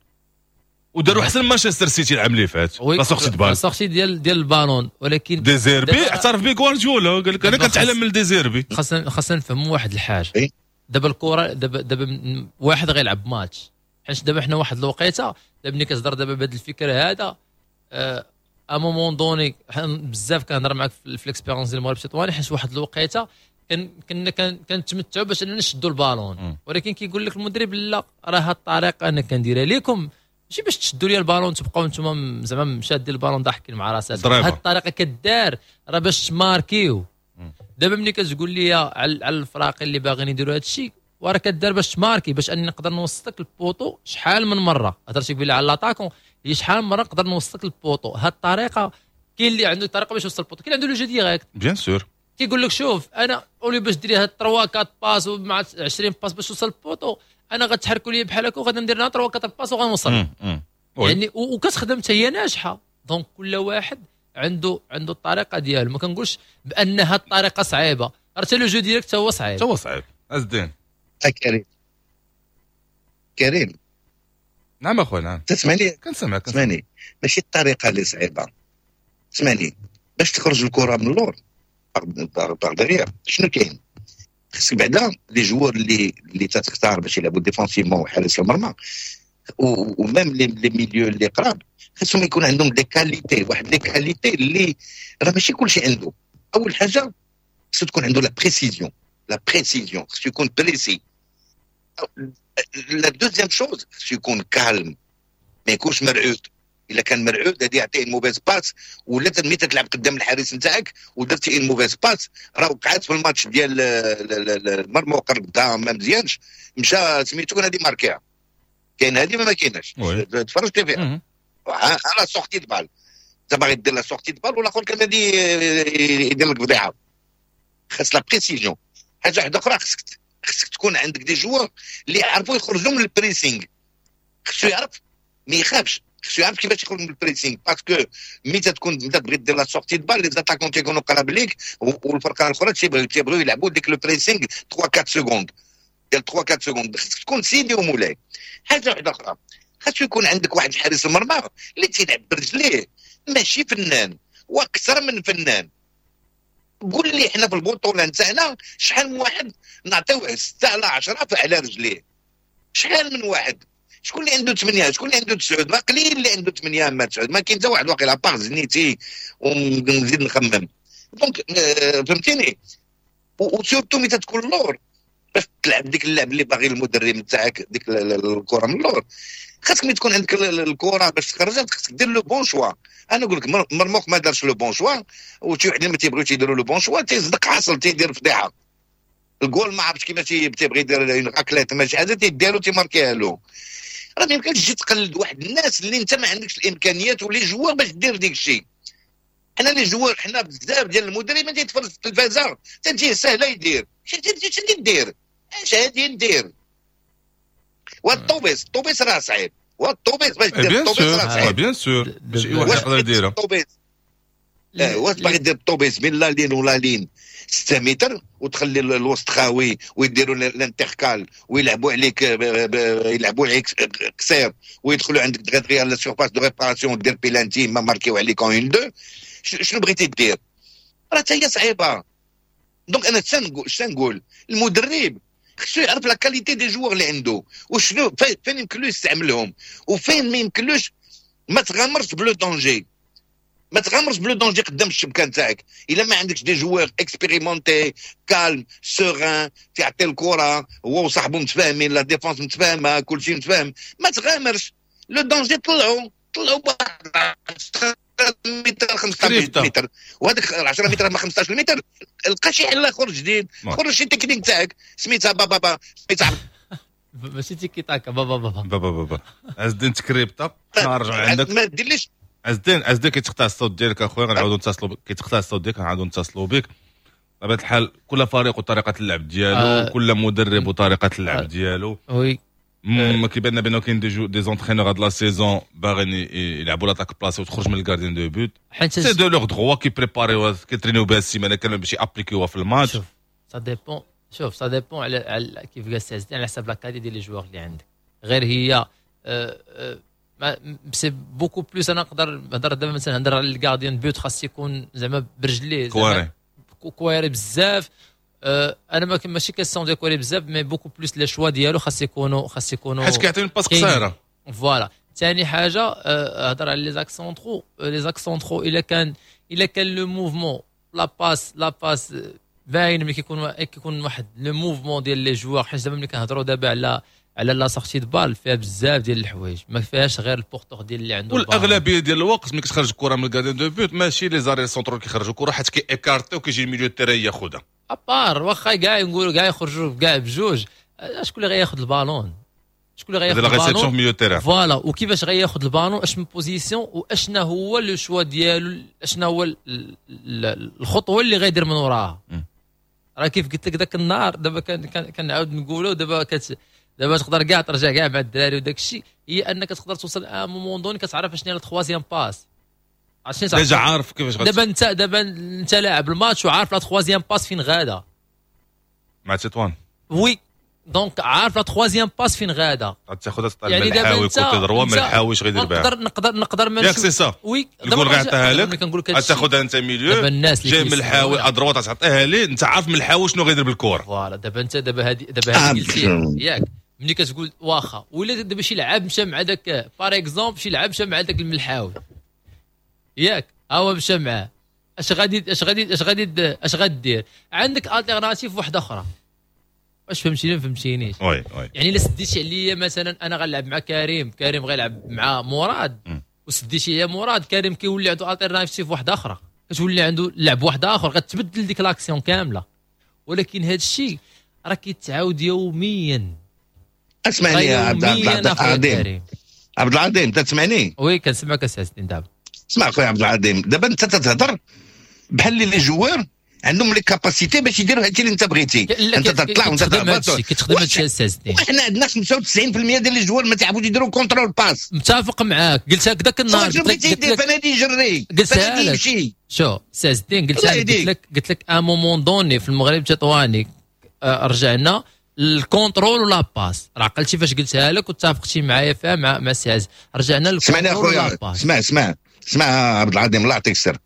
وداروا احسن مانشستر سيتي العام اللي فات. la sortie de balle، sortie ديال البالون، ولكن ديزيربي اعترف به غوارديولا، قال لك انا كنتعلم من ديزيربي. خاصنا نفهموا واحد الحاجه. دابا الكره دابا واحد غيلعب ماتش، حيت دابا حنا واحد الوقيته، دابا ملي كتهضر دابا بهذا الفكرة هذا، à un moment donné بزاف كنهضر معاك في l'expérience ديال المغرب التطواني، حيت واحد الوقيته كنا كنتمتعوا باش اننا نشدوا البالون، ولكن كيقول لك المدرب لا، راه هاد الطريقة انا كنديرها لكم ماشي باش تشدوا لي البالون تبقاو نتوما زعما شادين البالون ضاحكين مع راساتكم. هاد الطريقة كدار راه باش تماركيو. دابا ملي كتقول لي على الفراق اللي باغيين يديروا هذا الشيء، وراه كدار باش تماركي، باش اني نقدر نوصلك ال poteau شحال من مره. هضرتي قبيلة على l'attaquant، هي شحال من مرة نقدر نوصلك ال poteau. هاد الطريقة كاين اللي عنده طريقه باش يوصل ال poteau، كاين اللي عنده le jeu direct. bien sûr. كيقول لك شوف، انا au lieu باش ديري هاد 3 4 passes ومع 20 passes باش توصل ال poteau، انا غتحركوا لي بحال هكا وغادي ندير 3 4 passes وغنوصل. يعني وكتخدم حتى هي ناجحه. donc كل واحد عنده الطريقة ديالو. ما كنقولش بان هاد الطريقة صعيبه، راه حتى le jeu direct هو صعيب. هو صعيب عز الدين. كريم كريم. نعم اخويا، نعم. تسمعني؟ كنسمعك. تسمعني، ماشي الطريقة اللي صعيبه. تسمعني، باش تخرج الكره من اللور par derrière، شنو كاين؟ خصك بعدا les joueurs اللي تختار باش يلعبوا défensivement وحارس المرمى و même les milieux اللي قراب، خصهم يكون عندهم des qualités، واحد les qualités اللي راه ماشي كلشي عنده. اول حاجة خصو تكون عنده la précision، la précision، خصو يكون précis. la deuxième chose خصو يكون calme، ما يكونش مرعود. الا كان مرعود غادي يعطيه mauvaise passe، ولا ملي تلعب قدام الحارس نتاعك ودرتي une mauvaise passe، راه وقعت في الماتش ديال المرمى وقربتها ما مزيانش، مشى سميتو غادي ماركيها. كاين هذه ما كايناش، تفرجتي فيها على sortie de balle، انت باغي دير la sortie de balle والاخر كان غادي يدير لك فضيحه. خاص la précision. حاجة واحدة اخرى، خصك تكون عندك des joueurs اللي يعرفوا يخرجوا من ال pressing. خصو يعرف ما يخافش، خصو يعرف كيفاش يخرج من ال pressing، parce que ملي تكون انت تبغي دير la sortie de balle، les attaquants تيكونوا قراب ليك، والفرقة الاخرى تيبغيو يلعبوا ديك le pressing 3 4 secondes ديال 3 4 secondes. خصك تكون سيدي ومولاي. حاجة واحدة اخرى، خاصو يكون عندك واحد الحارس المرمى اللي تيلعب برجليه، ماشي فنان واكثر من فنان. قول لي حنا في البطولة نتاعنا شحال من واحد نعطيوه 6 على 10 على رجليه؟ شحال من واحد؟ شكون اللي عنده 8؟ شكون اللي عنده 9؟ ما قليل اللي عنده 8 ما 9، ما كاين حتى واحد واقيلا à part زنيتي ونزيد نخمم. donc فهمتيني، و surtout ملي تكون اللور باش تلعب ديك اللعب اللي باغي المدرب نتاعك، ديك الكره من اللور، خاصك ملي تكون عندك الكره باش تخرجها خاصك دير le bon choix. انا نقول لك مرموق ما دارش le bon choix، وشي وحدين ما تيبغيوش يديروا le bon choix، تيصدق حاصل تيدير فضيحة الجول. ما عرفتش كيفاش تيبغي يدير raclette، ماشي حاجة تيديرو تيماركيها له. راه ما يمكنش تجي تقلد واحد الناس اللي انت ما عندكش الامكانيات و les joueurs باش دير ديك الشيء. حنا les joueurs، حنا بزاف ديال المدربين تيتفرج في التلفازه تجيه سهلة يدير. اش ندير؟ اش غادي ندير؟ والطوبيس، الطوبيس راه صعيب، والطوبيس باش دير الطوبيس راه صعيب. bien sûr، ماشي واحد يقدر يديرها. الطوبيس، واش باغي دير الطوبيس بين la ligne و la ligne 6 متر وتخلي الوسط خاوي ويديروا l'intercale ويلعبوا عليك، يلعبوا عليك قصير ويدخلوا عندك دغيا دغيا la surface de réparation، دير بيلانتي ما ماركيو عليك 1 2، شنو بغيتي دير؟ راه حتى هي صعيبه. donc انا شنقول، المدرب خصو يعرف la qualité des joueurs اللي عنده وشنو فين يمكن له يستعملهم وفين ما يمكنلوش. ما تغامرش ب le danger، ما تغامرش ب le danger قدام الشبكة نتاعك الا ما عندكش des joueurs expérimentés، calmes، sereins، تعطي الكره هو وصاحبه متفاهمين، la défense متفاهمه، كلشي متفاهم. ما تغامرش le danger. طلعوا طلعوا بواحد 10 متر، 15 متر، وهذاك 10 متر ما 15 متر لقى شي حل اخر جديد، خرج شي تكنيك تاعك سميتها بابا بابا سميتها. ماشي تيكي تاكا، بابا بابا. بابا بابا. عز الدين تكريبتا، نرجع عندك. ما ديرليش. عز الدين، عز الدين، كيتقطع الصوت ديالك اخويا، غنعاودو نتصلوا. كيتقطع الصوت ديالك، غنعاودو نتصلوا بك. بطبيعة الحال كل فريق وطريقه اللعب ديالو، كل مدرب وطريقه اللعب ديالو. ما كيبان بانه كاين des entraîneurs هاد la saison باغيين يلعبوا l'attaque placée وتخرج من ال gardien de but. c'est de leur droit، كي préparer كيترينيو بها السيمانة كاملة باش يابليكيوها في الماتش. شوف، ça dépend، شوف، ça dépend على كيف قال سي، على حسب la qualité ديال les joueurs اللي عندك. غير هي c'est beaucoup plus، انا نقدر نهضر دابا مثلا نهضر على ال gardien de but، خاص يكون زعما برجليه. كواري. كواري بزاف. انا ما ماشي question ديال كواري بزاف، mais beaucoup plus les choix ديالو خاص يكونوا حيت كيعطيني passe قصيره. voilà. ثاني حاجه، هضر على les axes centraux. les axes centraux، الا كان le mouvement، la passe باين، ملي كيكون واحد le mouvement ديال les joueurs، حيت دابا ملي كنهضروا دابا على la sortie de balle فيها بزاف ديال الحوايج، ما فيهاش غير ال porteur ديال اللي عنده. والاغلبيه ديال الوقت ملي كتخرج الكره من ال gardien de but ماشي les arrières centraux كيخرجوا الكره، حيت كي écarter وكيجي ال milieu terrain ياخذها. à part واخا كاع نقولوا كاع يخرجوا كاع بجوج، شكون اللي غياخذ البالون؟ شكون اللي غياخذ ال ballon في milieu terrain؟ voilà، وكيفاش غياخذ البالون؟ اش من position؟ واشنا هو le choix ديالو؟ اشنا هو الخطوة اللي غيدير من وراها؟ راه كيف قلت لك ذاك النهار، دابا كنعاود نقولوا، دابا تقدر كاع ترجع كاع مع الدراري وداك الشيء، هي انك تقدر توصل à un moment donné كتعرف شنو هي la troisième passe. عرفتي؟ déjà عارف كيفاش. دابا انت لاعب الماتش وعارف la troisième passe فين غادا. مع تطوان. oui، donc عارف la troisième passe فين غادا. تاخذها يعني دابا côté droit، ما الحاويش غيدير بها. نقدر ما ياك c'est ça؟ oui. الجول غيعطيها لك، تاخذها انت milieu. دابا الناس اللي جاي من الحاوي à droite تعطيها ليه، انت عارف من الحاوي شنو غيدير بالكرة. voilà، دابا انت دابا هذه قلتي ياك، ملي كتقول واخا ولا دابا شي لعاب مشى مع داك، par exemple شي لعاب مشى مع داك الملحاوي ياك، ها هو مشى معاه، اش غادي دير؟ عندك alternative واحدة اخرى. واش فهمتيني ما فهمتينيش؟ oui. يعني الا سديتي عليا مثلا انا غنلعب مع كريم، كريم غيلعب مع مراد، وسديتي عليا مراد، كريم كيولي عنده alternative واحدة اخرى، كتولي عنده لعب واحد اخر، غتبدل ديك l'action كامله. ولكن هذا الشيء راه كيتعاود يوميا. اسمعني يا عبد العظيم، عبد العظيم، تسمعني؟ oui، كنسمعك اسي دابا. اسمع خويا عبد العظيم، دابا انت تتهضر بحال les joueurs عندهم les capacités باش يديروا هادشي اللي انت بغيتي. انت تطلع وانت تهبط، كتخدم هادشي السي. وحنا عندنا 95% ديال les joueurs ما تعرفوش يديروا contrôle passe. متفق معاك، قلت هكذاك النهار. قلت لك يدير فنادي يجري، فنادي يمشي. شو سي عز الدين، قلت لك قلت لك à un moment donné في المغرب التطواني رجعنا ال contrôle و la passe. راه عقلتي فاش قلتها لك واتفقتي معايا فيها مع سي عز، رجعنا لل contrôle و la passe. اسمع اسمع اسمع عبد العظيم، الله يعطيك السر.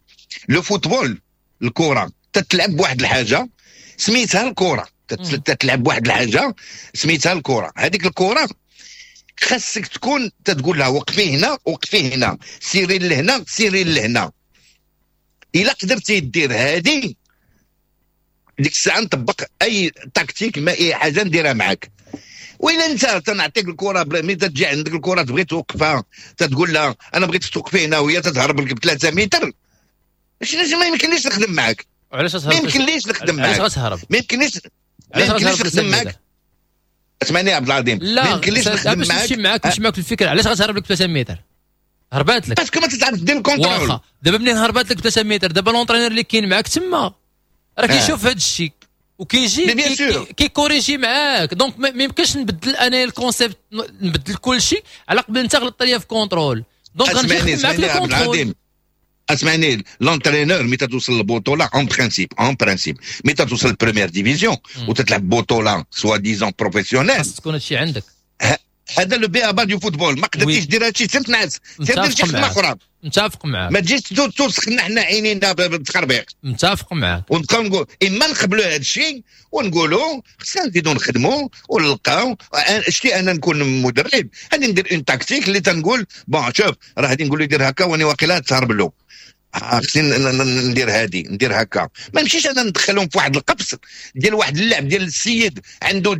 le football، الكره تتلعب بواحد الحاجة سميتها الكره، تتلعب بواحد الحاجة سميتها الكره. هذيك الكره خاصك تكون تتقول لها وقفي هنا، وقفي هنا، سيري لهنا، سيري لهنا. الا قدرتي دير هذه، ديك الساعة نطبق اي tactique، ما اي حاجة نديرها معاك. وإلا انت تنعطيك الكره، ملي تجي عندك الكره تبغي توقفها، تتقول لها انا بغيت توقفي هنا، وهي تتهرب لك ب 3 متر، شنو؟ ما يمكنليش نخدم معاك. علاش؟ ما يمكنليش نخدم معاك. علاش غتهرب؟ ما يمكنليش نخدم معاك. اسمعني يا عبد العظيم. لا، ما يمكنليش نخدم معاك. نمشي معاك، نمشي معاك الفكره. علاش غتهرب لك 3 متر؟ هربات لك parce que ما تتعرف دير ال contrôle. واخا، دابا منين هربات لك 3 متر، دابا l'entraîneur اللي كاين معاك تما راه كيشوف هذا الشيء وكيجي كي corriger معاك. donc ما يمكنش نبدل انا ال concept، نبدل كل شيء على قبل انت غلطت ليا في contrôle. donc غنجي نخدم معاك ال contrôle. اسمعني، l'entraîneur ملي توصل للبطوله، en principe ملي توصل لل première division وتتلعب بطوله soi-disant professionnelle، خاص تكون هادشي عندك. هذا le b.a.-ba du football. ما قدرتيش دير هادشي، سير تنعس، سير دير شي خدمة اخرى. متفق معاك. ما تجيش توسخنا حنا عينينا بالتخربيق. متفق معاك. ونبقاو نقول اما نقبلوا هذا الشيء ونقولوا خصنا نزيدوا نخدموا ونلقاو. شتي، انا نكون مدرب، غادي ندير une tactique اللي تنقول bon شوف، راه غادي نقول له يدير هكا، واني واقيلا تهرب له، خصني ندير هادي، ندير هكا. ما نمشيش انا ندخلهم في واحد القفص ديال واحد اللعب ديال السيد عنده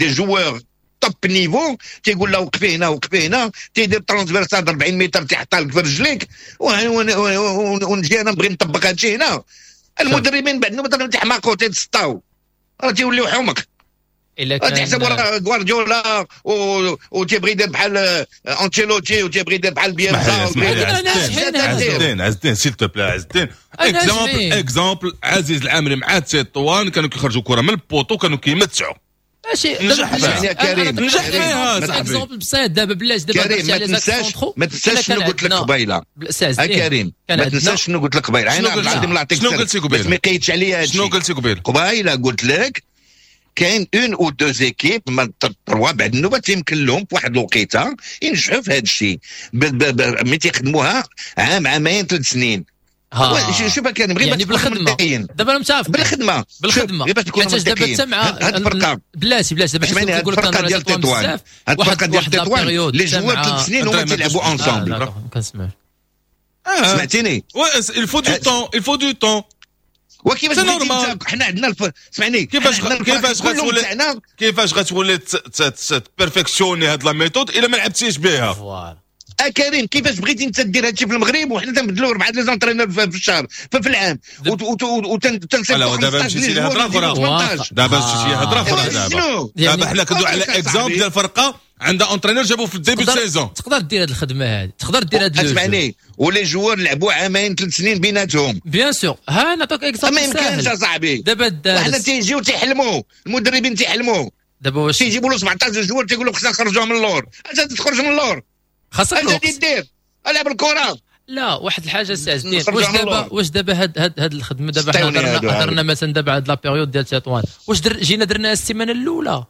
des joueurs top niveau، تيقول له وقفي هنا، وقفي هنا، تيدير transversale 40 متر تيحطها لك في رجليك، ونجي انا نبغي نطبق هادشي هنا. المدربين بعد نوبه تيحماقوا، تيتسطاو، راه تيوليو حمق. الا كان تحسب راه غوارديولا وتيبغي يدير بحال انشيلوتي وتيبغي يدير بحال بيلسا. عز الدين، عز الدين، s'il te plaît، عز الدين، exemple exemple عزيز العامري مع تطوان كانوا كيخرجوا كره من ال poteau، كانوا كيمتعوا. ماشي. نجح فيها كريم. نجح فيها صاحبي. exemple بسيط دابا، بلاش دابا. كريم، ما تنساش شنو قلت لك قبيله. كريم، ما تنساش شنو قلت لك قبيله. شنو قلت؟ شنو قلتي قبيله؟ ما قيدش عليا. شنو قلتي قبيله؟ قبيلة قلت لك كاين une ou deux équipes، ما trois، بعد النوبة يمكن لهم في واحد الوقيته ينجحوا في هذا الشيء ملي تيخدموها عام، عامين، 3 سنين. شوف كان غير يعني بالخدمه. دابا انا متفق. بالخدمه. بالخدمه. غير باش تكونوا دابا حتى مع هاد الفرقه. بلاتي بلاتي، دابا حيت كيقول لك الفرقة ديال تطوان، هاد الفرقة ديال تطوان، les joueurs 3 سنين هما تيلعبوا ensemble. كنسمع. سمعتيني؟ il faut du temps، il faut du temps. وكيفاش حنا عندنا اسمعني. كيفاش غتولي perfectionner هاد la méthode الا ما لعبتيش بها؟ voilà. كريم، كيفاش بغيتي انت دير هادشي في المغرب وحنا تنبدلوا اربعة les entraîneurs في الشهر، في العام؟ وتنصيفطوا دابا مشيتي لهضره اخرى، دابا مشيتي لهضره اخرى. دابا دابا حنا كندوي على exemple ديال فرقه عندها entraîneur جابوه في ال début saison. تقدر دير هذه الخدمة هذه، تقدر دير هذا. اسمعني، و les joueurs لعبوا عامين، 3 سنين بيناتهم. bien sûr، ها نعطيك exemple. ما يمكنش اصاحبي. دابا حنا تيجيو تيحلموا، المدربين تيحلموا. دابا واش تيجيبوا له 17 joueurs، تيقولوا خصنا نخرجوهم من اللور. انت تخرج من اللور؟ خاصك اش دير؟ العب الكره. لا، واحد الحاجة سي عز الدين، واش دابا هاد الخدمه، دابا حنا هضرنا مثلا دابا هاد la période ديال تطوان، واش جينا درناها السيمانة الاولى؟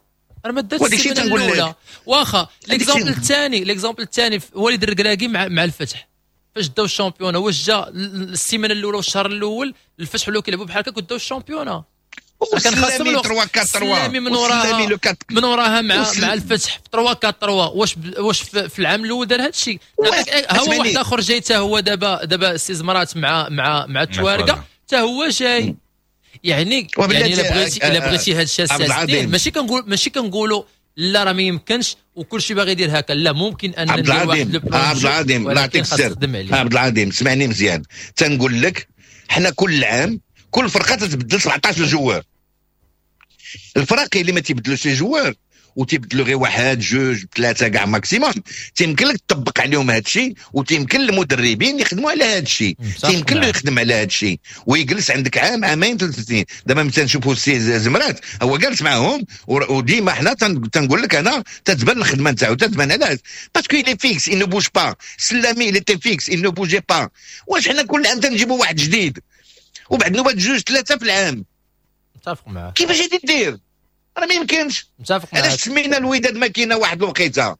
راه ما دارتش السيمانة الاولى. واخا، l'exemple الثاني وليد الركراكي مع الفتح فاش داو ال championnat، واش جا السيمانة الاولى والشهر الاول الفتح ولاو كيلعبوا بحال هكاك وداو ال championnat؟ كان خاصهم الوقت. 3 4 3. من وراها مع الفتح في 3 4 3، واش في العام الاول دار هذا الشيء؟ هو واحد اخر جاي حتى هو دابا سي زمرات مع التوارقه حتى هو جاي. يعني الا بغيتي هذا الشيء، ماشي كنقولوا لا راه ما يمكنش وكل شيء باغي يدير هكا. لا، ممكن ان عبد العظيم، عبد العظيم، الله يعطيك السر. عبد العظيم، سمعني مزيان، تنقول لك حنا كل عام كل فرقه تتبدل 17 joueurs. الفرق اللي ما تيبدلوش les joueurs وتيبدلوا غير واحد جوج ثلاثة كاع maximum، تيمكن لك تطبق عليهم هذا الشيء، وتيمكن المدربين يخدموا على هذا الشيء، تيمكن له يخدم على هذا الشيء ويجلس عندك عام عامين 3 سنين. دابا مثلا نشوفوا السي زمرات هو جالس معاهم، وديما حنا تنقول لك انا تتبان الخدمة نتاعو، تتبان. علاش؟ parce que il est fixe، il ne bouge pas. سلامي il était fixe، il ne bougeait pas. واش حنا كل عام تنجيبوا واحد جديد وبعد نوبات جوج ثلاثة في العام؟ متفق معك. كيفاش غادي دير؟ راه ما يمكنش. متفق معك. علاش سمينا الوداد ماكينه؟ واحد الوقيته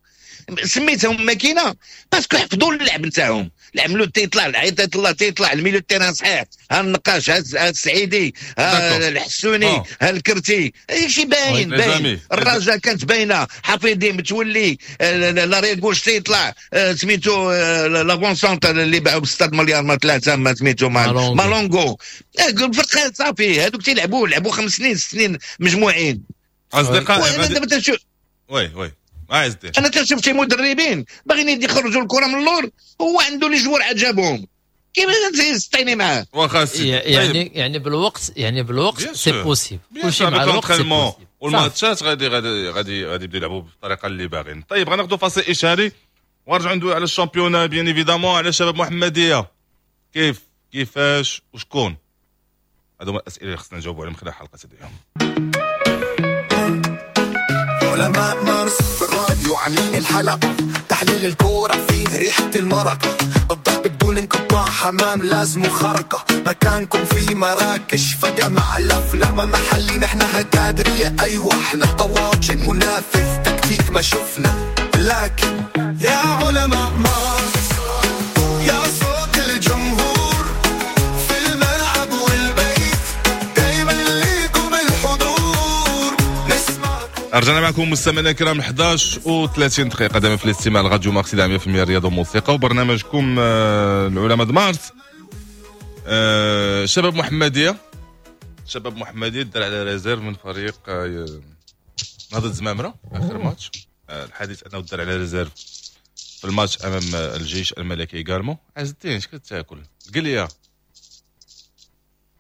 سميتهم ماكينة parce que حفظوا اللعب نتاعهم. العملو تيطلع، العيطات الله تيطلع، ال milieu terrain صحيح، ها النقاش، ها السعيدي، ها الحسوني، ها الكرتي، شي باين باين. الرجاء كانت باينه، حفيظي، متولي، l'arrière gauche تيطلع، سميتو l'avant-centre اللي باعوا ب 6 مليار ما ثلاثه، ما سميتو مالونغو. الفرقة صافي، هذوك تيلعبوا لعبوا 5 سنين 6 سنين مجموعين. اصدقاء، دابا تنشوف oui oui عايز دير. انا تنشوف شي مدربين باغيين يخرجوا الكره من اللور، هو عنده les joueurs عجبهم، كيفاش تسطيني معاه؟ واخا. يعني بالوقت c'est possible. كلشي مع الوقت c'est possible. والماتشات غادي يبداو يلعبوا بالطريقة اللي باغيين. طيب، غناخذوا فاصل اشهاري ونرجعوا ندوي على ال championnat، bien évidemment على شباب محمديه. كيف كيفاش وشكون؟ هذو هما الاسئلة اللي خصنا نجاوبوا عليهم خلال حلقة اليوم. علماء مارس في الراديو عاملين الحلقة، تحليل الكورة فيه ريحة المرق، الضحك بدون انقطاع، حمام لازم خرقة، مكانكم في مراكش فجأة مع الأفلام محلي، نحن هكادرية، أيوة احنا طواجن، منافس تكتيك ما شفنا، لكن يا علماء مارس، يا صوت الجمهور في الملعب والبيت، دايما ليكم الحضور نسمعكم. رجعنا معكم مستمعينا الكرام، 11 و 30 دقيقة دائما في الاستماع لراديو مارس 100% رياضة وموسيقى وبرنامجكم العلماء مارس. شباب محمدية، شباب محمدية دار على réserve من فريق نهضة زمامرة آخر ماتش. الحديث أنه دار على réserve في الماتش أمام الجيش الملكي également. عز الدين، اش كتاكل؟ قل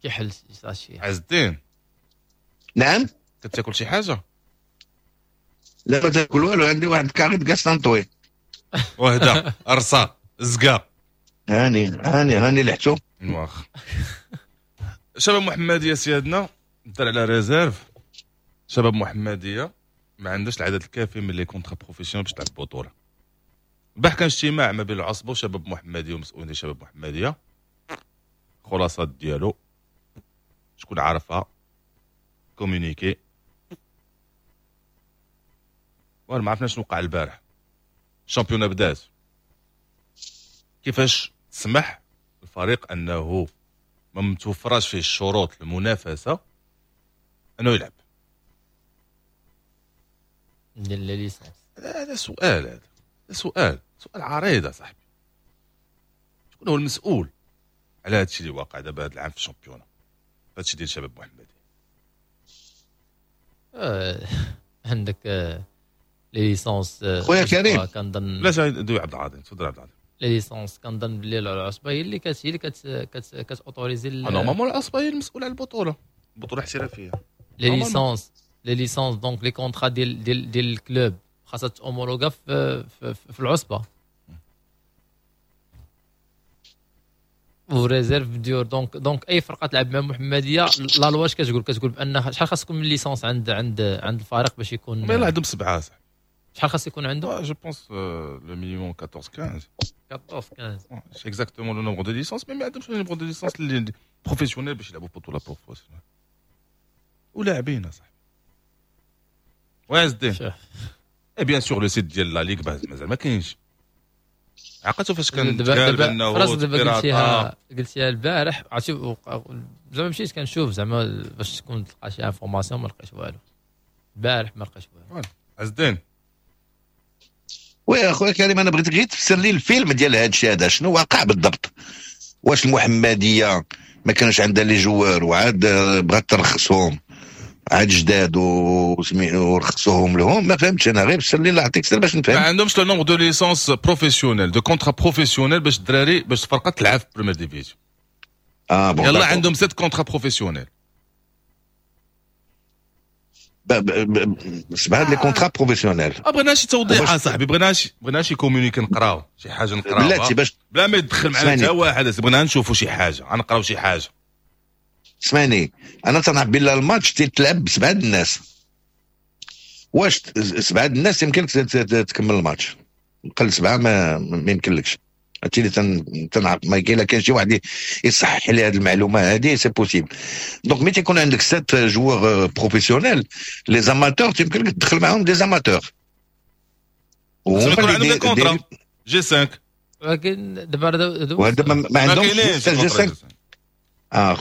كيحل شي. عز الدين. نعم. كتاكل شي حاجة؟ لا، ما تاكل والو، عندي واحد كاريت كاستنطوي. وهدا ارصا زكا. هاني هاني هاني لحتو. واخ، شباب محمديه سيادنا دار على réserve. شباب محمديه ما عندهاش العدد الكافي من les contrats professionnels باش تلعب بطوله. البارح كان اجتماع ما بين العصبة وشباب محمديه ومسؤولين شباب محمديه. خلاصات ديالو شكون عارفها؟ communiqué وانا ما عرفناش شنو وقع البارح. ال championnat بدات، كيفاش تسمح الفريق انه ما متوفراش فيه الشروط المنافسة انه يلعب؟ ديال les licences. هذا سؤال، هذا سؤال، سؤال عريض صاحبي. شكون هو المسؤول على هذا الشيء اللي واقع دابا هذا العام في ال championnat، هذا الشيء ديال شباب محمدي؟ عندك les licences. خويا كريم. كنظن لا، دوي عبد العظيم، تفضل عبد العظيم. les licences، كنظن بلي العصبة هي اللي كت autoriser. normalement العصبة هي المسؤولة على البطوله، البطولة احترافيه. les licences، donc les contrats ديال ال club خاصها homologuer في العصبة و réserve ديور. donc اي فرقه تلعب مع محمديه، la loi اش كتقول؟ كتقول بان شحال خاص يكون من licence عند الفريق باش يكون؟ ما عندهم سبعة صح. شحال خاص يكون عنده؟ je pense le minimum 14 15. 14 15. c'est exactement le nombre de licences، mais ما عندهمش le nombre de licences اللي professionnelles باش يلعبوا بطوله professionnelle ولاعبين اصاحبي وعز الدين. et bien sûr le site ديال la ligue مازال ما كاينش. عقلتو فاش كان دابا دابا دابا قلتيها البارح، عرفتي، زعما مشيت كنشوف زعما باش تكون تلقى شي information، ما لقيت والو البارح، ما لقيت والو. عز الدين. oui اخويا كريم، انا بغيت غير تفسر لي الفيلم ديال هذا الشيء هذا، شنو واقع بالضبط؟ واش المحمدية ما كانش عندها les joueurs وعاد بغات ترخصهم عاد جداد ورخصوهم لهم؟ ما فهمتش انا، غير فسر لي الله يعطيك السر باش نفهم. ما عندهمش le nombre de licences professionnelles، de contrats professionnels باش الدراري، باش الفرقة تلعب في première division. اه bon. يلا عندهم 7 contrats professionnels. سبعة les contrats professionnels. بغينا شي توضيح صاحبي، بغينا شي communiqué نقراو شي حاجة نقراوها بلاتي باش بلا ما يدخل معنا حتى واحد، بغينا نشوفوا شي حاجة، غنقراو شي حاجة. اسمعني، انا تنعرف بلا الماتش تيتلعب بسبعة الناس. واش سبعة الناس يمكن تكمل الماتش؟ قل سبعة ما يمكنلكش. هادشي اللي تنعرف، ما كاين كاين شي واحد يصحح لي هذه المعلومة هذه، c'est possible. donc ملي تيكون عندك 7 joueurs professionnels، les amateurs تيمكن لك تدخل معاهم des amateurs. وهما اللي contrat G5. ولكن دابا وهذا ما عندهمش G5.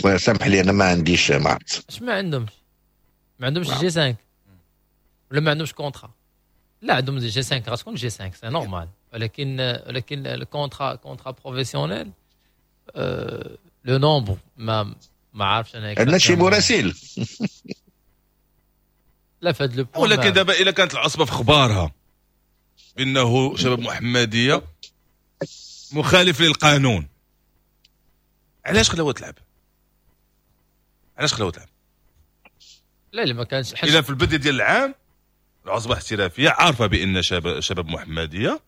خويا سامح لي، انا ما عنديش، ما عرفت. اش ما عندهمش؟ ما عندهمش G5 ولا ما عندهمش contrat؟ لا، عندهم G5، غتكون G5، c'est normal، ولكن ال contrat professionnel le nombre ما عارفش انا. عندنا شي مراسل؟ لا، في هذا le ولكن دابا الا كانت العصبة في اخبارها بانه شباب محمديه مخالف للقانون، علاش خلاوها تلعب؟ علاش خلاوها تلعب؟ لا لا، ما كانش. الا في البداية ديال العام العصبة الاحترافية عارفه بان شباب محمديه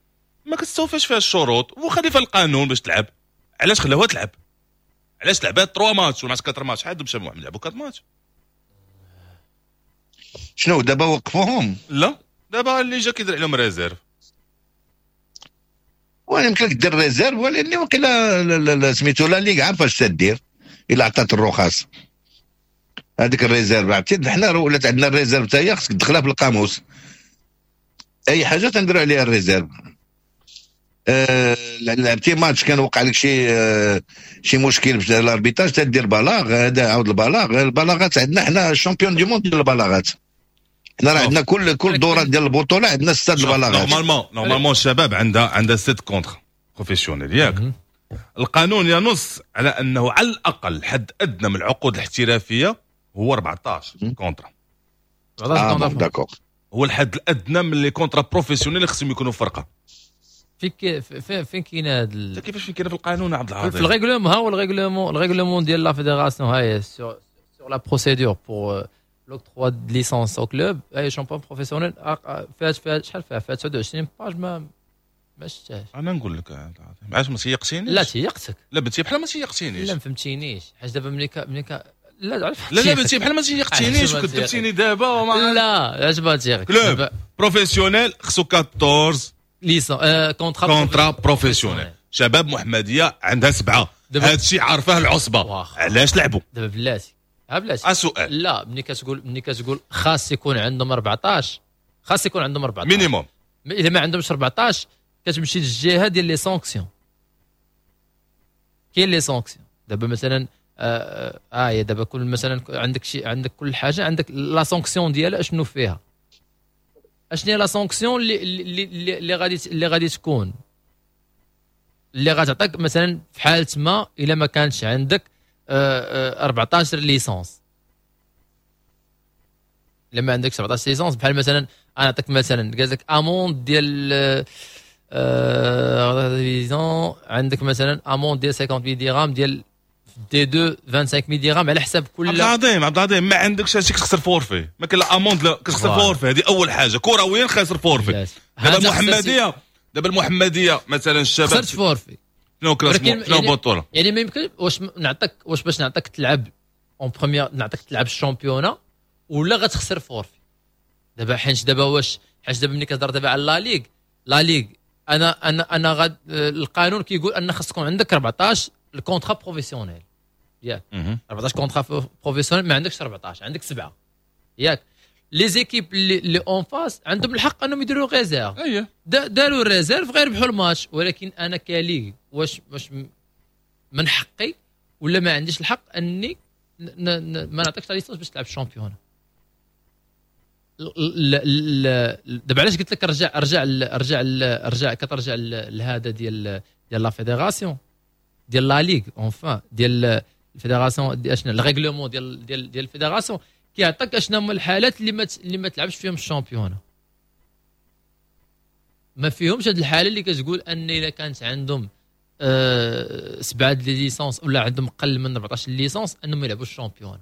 ما كتستوفاش فيها الشروط ومخالفه القانون باش تلعب، علاش خلاوها تلعب؟ علاش لعبات 3 ماتش ولا 4 ماتش؟ حد شباب محمد لعبوا 4 ماتش. شنو دابا وقفوهم؟ لا، دابا اللي جا كيدير عليهم réserve. ولا يمكن لك دير réserve، ولكن وقيلا سميتو la ligue عارفه اش تدير الا عطات الرخص هذيك ال réserve. عرفتي، حنا ولات عندنا ال réserve حتى هي خصك تدخلها في القاموس، اي حاجة تنديروا عليها ال réserve. لعبتي ماتش كان وقع لك شي مشكل في l'arbitrage، تدير بلاغ، هذا عاود البلاغ. البلاغات عندنا حنا champions du monde ديال البلاغات، حنا راه عندنا كل دوره ديال البطولة عندنا ستة البلاغات. normalement الشباب عندها sept contrats professionnels، ياك؟ القانون ينص على انه على الاقل حد ادنى من العقود الاحترافية هو 14 contrats. اه d'accord. هو الحد الادنى من les contrats professionnels اللي خصهم يكونوا فرقه. فين كاين هذا؟ كيفاش فين كاين في القانون عبد العظيم؟ في ال règlement، ها هو ال règlement ديال la fédération، هاي sur la procédure pour l'octroi de licence au club اي champion professionnel. فيها شحال؟ فيها 29 pages، ما شفتهاش. انا نقول لك، علاش ما تيقتينيش؟ لا، تيقتك. لا، بنتي بحال ما تيقتينيش. لا، ما فهمتينيش، حيت دابا ملي لا لا لا، بنتي بحال ما تيقتينيش وكذبتيني دابا وما لا، علاش ما تيقك؟ club professionnel خصو 14 licences، contrats. contrats professionnels. شباب محمديه عندها سبعه، هذا الشيء عارفاه العصبه، علاش لعبوا؟ دابا بلاتي، ها بلاتي. سؤال. لا، ملي كتقول خاص يكون عندهم 14، خاص يكون عندهم 14 minimum. اذا ما عندهمش 14 كتمشي للجهة ديال les sanctions. كاين les sanctions دابا مثلا دابا كل مثلا عندك شي، عندك كل حاجة عندك la sanction ديالها اشنو فيها، اشنو هي la sanction اللي غادي تكون، اللي غتعطيك مثلا في حاله ما الا ما كانش عندك 14 licences. لما عندك 17 licences، بحال مثلا انا نعطيك مثلا، قال لك amende ديال عندك مثلا amende ديال 50 درهم، ديال D2 25000 درهم، على حساب كل عبد العظيم، عبد العظيم، ما عندكش هادشي كتخسر forfait، ما كاين لا amende، لا كتخسر forfait. هذه اول حاجه، كرويا خاسر forfait. دابا المحمديه، دابا المحمدية مثلا الشباب خسرت forfait. شنو classement؟ شنو بطوله؟ يعني ما يمكن واش نعطيك، واش باش نعطيك تلعب en première، نعطيك تلعب ال championnat ولا غتخسر forfait. دابا حيت دابا واش حيت دابا ملي كتهضر دابا على la ligue، la ligue انا غاد القانون كيقول ان خاص تكون عندك 14 ال contrat professionnel، ياك؟ 14 contrats professionnels، ما عندكش 14، عندك سبعه، ياك؟ les équipes اللي en face عندهم الحق انهم يديروا réserve. داروا réserve غير ربحوا الماتش. ولكن انا ك ligue واش من حقي ولا ما عنديش الحق اني ما نعطيكش licence باش تلعب ال championnat؟ دابا علاش قلت لك رجع رجع رجع رجع، كترجع لهذا ديال la fédération، ديال la ligue، enfin ديال ال fédération، اشنو ال règlement ديال ال fédération كيعطيك اشنو هما الحالات اللي ما تلعبش فيهم ال championnat. ما فيهمش هذه الحالة اللي كتقول ان اذا كانت عندهم سبعة les licences ولا عندهم اقل من 14 licences انهم يلعبوا ال championnat.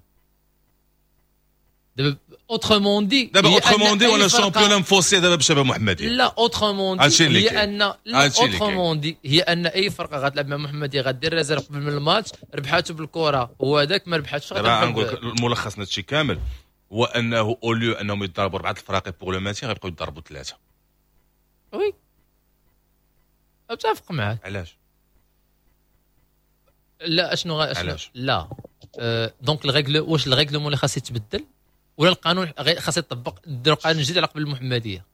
دابا autrement dit دابا autrement dit ولا championnat مفوسي دابا بشباب محمديه. لا autrement dit هي ان autrement dit هي ان اي فرقه غتلعب مع محمديه غدير réserve قبل من الماتش، ربحاتو بالكرة وهذاك ما ربحاتش. دابا نقول لك الملخص هادشي كامل هو انه au lieu انهم يضربوا اربعة الفراقي pour le maintien غيبقاو يضربوا ثلاثة. oui اتفق معك. علاش؟ لا اشنو لا donc ال règle واش ال règlement اللي خاص يتبدل ولا القانون خاص يطبق؟ ديروا قانون جديد على قبل المحمدية.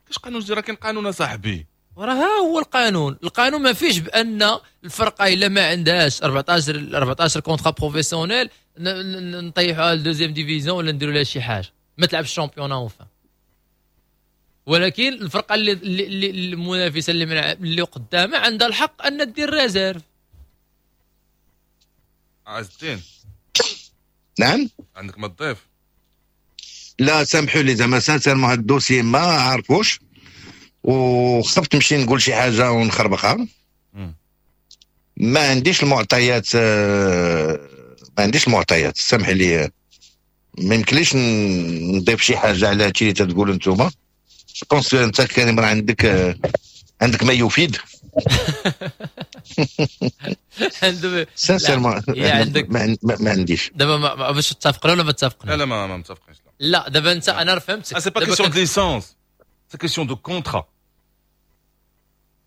كاش قانون جديد؟ راه كاين قانون اصاحبي، راه ها هو القانون. القانون ما فيش بان الفرقة الا ما عندهاش 14 contrats professionnels نطيحوها ل deuxième division ولا نديروا لها شي حاجة، ما تلعبش ال championnat enfin. ولكن الفرقة اللي المنافسة اللي قدامها عندها الحق ان دير réserve. عز الدين. نعم عندك ما تضيف؟ لا سامحوا لي زعما sincèrement هاد ال dossier ما عارفوش وخفت نمشي نقول شي حاجة ونخربقها. ما عنديش المعطيات، ما عنديش المعطيات، سامح لي ما يمكنليش نضيف شي حاجة على هادشي اللي تتقولوا نتوما. je pense انت كريم راه عندك ما يفيد. sincèrement ما عنديش. دابا باش تتفقنا ولا ما تتفقنا؟ لا ما متفقينش. لا دابا انت انا فهمتك. c'est pas question de licence، c'est question de contrat.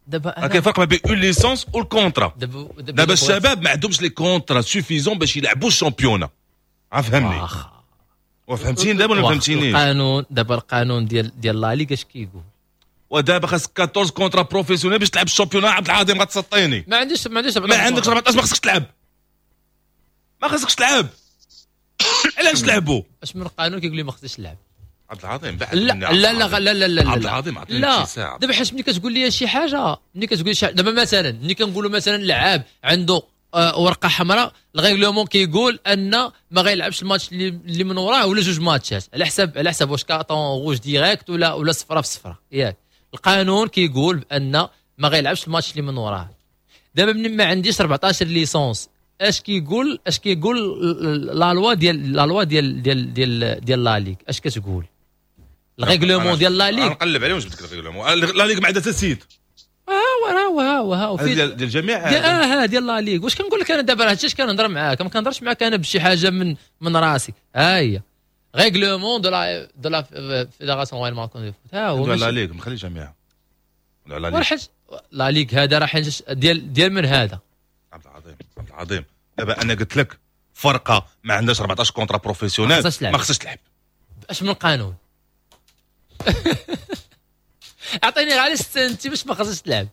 دابا كاين فرق ما بين une licence وال contrat. دابا الشباب ما عندهمش les contrats suffisants باش يلعبوا ال championnat. فهمني وفهمتيني دابا ولا فهمتينيش؟ القانون دابا القانون ديال la ligue اش كيقول؟ ودابا خاصك 14 contrats professionnels باش تلعب ال championnat. عبد العظيم غتسطيني. ما عنديش ما عندكش 14، ما خصكش تلعب، ما خصكش تلعب. علاش تلعبوا؟ اش من قانون كيقول لي ما خصنيش نلعب؟ عبد العظيم بعد. لا لا لا لا لا لا عبد العظيم عطيني شي ساعة. دابا حيت ملي كتقول لي شي حاجة، ملي كتقول لي دابا مثلا ملي كنقولوا مثلا لعاب عنده ورقة حمراء، ال règlement كيقول ان ما غيلعبش الماتش اللي من وراه ولا جوج ماتشات على حساب واش carton rouge direct ولا صفرة في صفرة، ياك. القانون كيقول بان ما غيلعبش الماتش اللي من وراه. دابا من ما عنديش 14 licences، اش كيقول la loi ديال la loi ديال ديال ديال ديال la ligue؟ اش كتقول ال règlement ديال la ligue؟ نقلب عليه ونجبد لك ال règlement. la ligue ما عندها حتى site. ها ديال الجميع ديال la ligue. واش كنقول لك انا دابا؟ هادشي اش كنهضر معاك، ما كنهضرش معاك انا بشي حاجة من راسي. ها هي règlement de la fédération royale marocaine de foot. ها هو la ligue مخلي جميع la ligue. la ligue هذا راه ديال من هذا؟ عبد العظيم عبد العظيم دابا انا قلت لك فرقه ما عندهاش 14 contrats professionnels ما خصهاش تلعب. اش من قانون؟ اعطيني علاش انت باش ما خصهاش تلعب.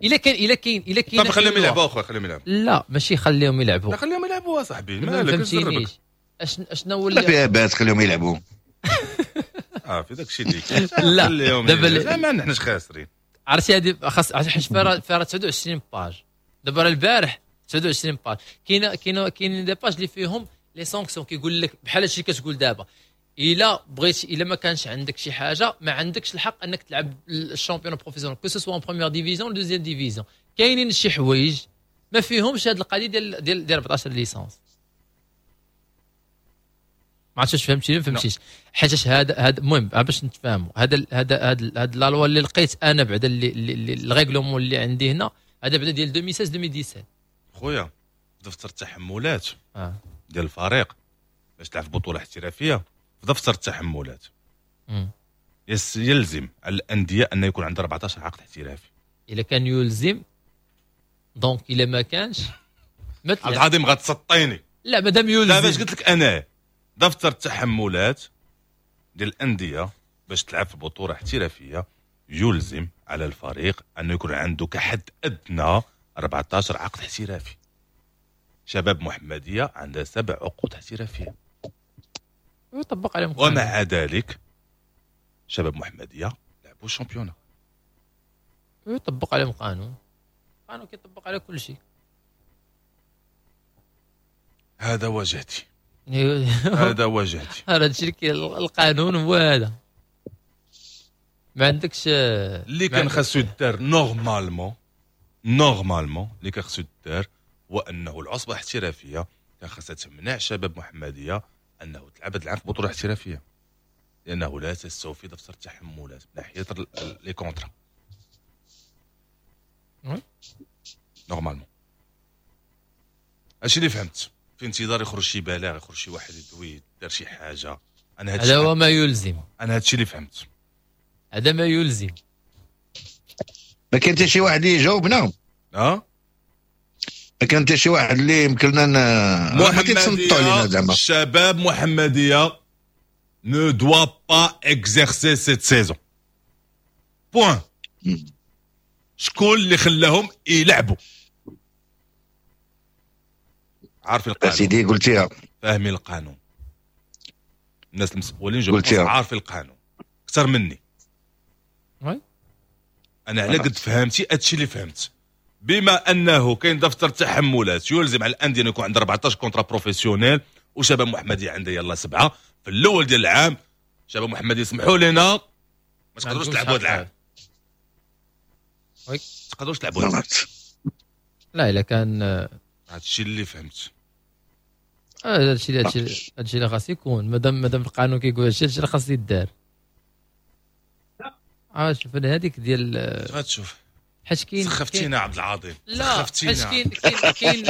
الا كاين طب خليهم يلعبوا اخويا، خليهم يلعبوا. لا ماشي خليهم يلعبوا، لا خليهم يلعبوا اصاحبي. مالك فهمتينيش؟ اشنو هو اللي فيها باس؟ خليهم يلعبوا. في داك الشيء اللي كاين. لا دابا لا ما نحناش خاسرين. عرفتي هذه خاص حيت فيها 29 pages. دابا البارح 29 pages كاين des pages اللي فيهم les sanctions، كيقول لك بحال هادشي كتقول دابا الا بغيت، الا ما كانش عندك شي حاجة ما عندكش الحق انك تلعب ال championnat professionnel que ce soit en première division ولا deuxième division. كاينين شي حوايج ما فيهمش هاد القضية ديال 14 licences. ما عرفتش فهمتيني ما فهمتيش؟ حيت هذا المهم باش نتفاهموا، هذا هذا هاد la loi اللي لقيت انا بعدا اللي ال règlement اللي عندي هنا هذا بعدا ديال 2016 2017. خويا دفتر التحملات ديال الفريق باش تلعب في بطوله احترافية، في دفتر التحملات يلزم على الاندية ان يكون عندها 14 عقد احترافي. الا كان يلزم donc الا ما كانش عبد العظيم غتسطيني. لا مادام يلزم. لا باش قلت لك انا دفتر التحملات ديال الاندية باش تلعب في بطوله احترافية يلزم على الفريق انه يكون عنده كحد ادنى 14 عقد احترافي. شباب محمديه عندها 7 عقود احترافية ويطبق عليهم، ومع ذلك شباب محمديه لعبوا ال championnat. ويطبق عليهم قانون، قانون كيطبق على كل شيء. هذا واجهتي. هذا واجهتي. هذا الشيء القانون هو هذا. ما عندكش اللي كان خاصو يدار normalement، normalement اللي كان خاصو يدار هو انه العصبة الاحترافية كان خاصها تمنع شباب محمديه انه تلعب هذا العام في بطوله احترافية، لانه لا تستوفي دفتر التحملات من ناحية les contrats normalement. هادشي اللي فهمت. في انتظار يخرج شي بلاغ، يخرج شي واحد يدوي دار شي حاجة. انا هذا هو ما يلزم. انا هادشي اللي فهمت، هذا ما يلزم. ما كاين حتى شي واحد اللي يجاوبنا. ما كان حتى شي واحد اللي يمكن لنا محمدية. الشباب محمدية ne doit pas exercer cette saison. Point. شكون اللي خلاهم يلعبوا؟ عارفين القانون سيدي، قلتيها، فاهمين القانون. الناس المسؤولين جو عارفين القانون اكثر مني. انا على قد فهمتي هادشي اللي فهمت. بما انه كاين دفتر تحملات يلزم على الاندية ان يكون عندها 14 contrats professionnels، وشباب محمديه عندها يلا 7 في الاول ديال العام. شباب محمديه سمحوا لنا ما تقدروش تلعبوا هذا العام، ما تقدروش تلعبوا هذا العام. لا الا كان هادشي اللي فهمت. هادشي اللي خاص يكون، مادام القانون كيقول هادشي اللي خاص يدار. شوف انا هذيك ديال غتشوف حيت كاين سخفتينا عبد العظيم. لا حيت كاين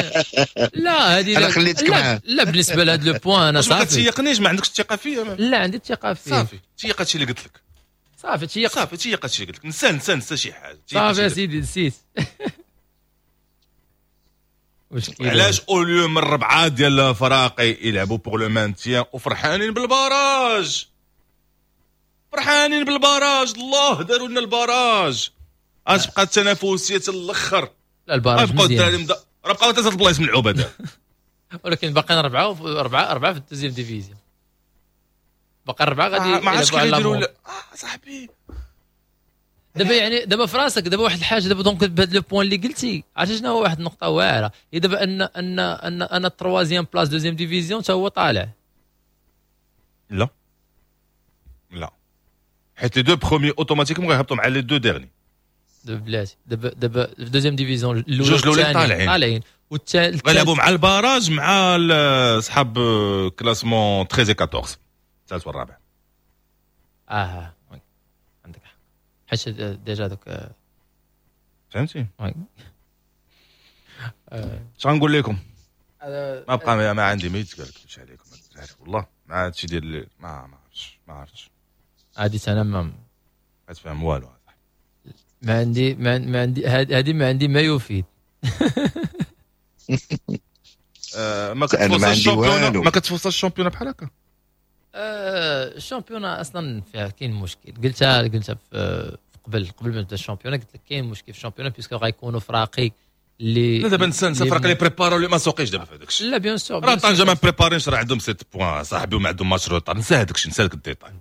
لا هذه انا خليتك معاه. لا بالنسبة لهذا le point انا صافي. ما كتيقنيش، ما عندكش الثقة فيا. لا عندي الثقة فيك صافي. تيق هادشي اللي قلت لك صافي. تيق صافي، تيق هادشي اللي قلت لك. نسى نسى نسى شي حاجة. صافي يا سيدي نسيت. علاش au lieu من ربعه ديال الفراقي يلعبوا pour le maintien وفرحانين بال barrage، فرحانين بال barrage. الله داروا لنا ال barrage. غتبقى التنافسية الاخر. لا ال barrage مزيان، راه بقاو ثلاثة البلايص ملعوبه دابا. ولكن باقيين اربعة في ال deuxième division، باقي اربعة غادي ما عرفتش كيف يديروا. صاحبي دابا يعني دابا في راسك دابا واحد الحاجة دابا donc بهذا le point اللي قلتي، عرفتي شنو هو واحد النقطة واعرة هي دابا ان ان ان ان ال troisième place deuxième division حتى هو طالع. لا لا حيت les deux premiers automatiquement غيهبطوا مع les deux derniers. دابا بلاتي دابا في deuxième division الاولى جوج الاولين طالعين والثالث غيلعبوا مع ال barrage مع صحاب classement 13 14 الثالث والرابع. عندك حق حيت déjà دوك فهمتي. oui اش غنقول لكم؟ ما بقى ما عندي ما يتقال كلشي عليكم والله. ما هادشي ديال ما عرفتش عادي انا ما تفهم والو. ما عندي ما عندي هذه ما عندي ما يفيد. ما كتفوز ال championnat، ما كتفوز ال championnat بحال هكا. ال championnat اصلا فيها كاين مشكل. قلتها في قبل ما نبدا ال championnat قلت لك كاين مشكل في ال championnat puisque غيكونوا فراقي اللي لا دابا نسى فرق اللي préparاو اللي ما سوقيش دابا في هذاك الشيء. لا bien sûr راه طنجه ما préparينش، راه عندهم 6 points صاحبي وما عندهم match retard. نسى هذاك الشيء، نسى داك ال détail.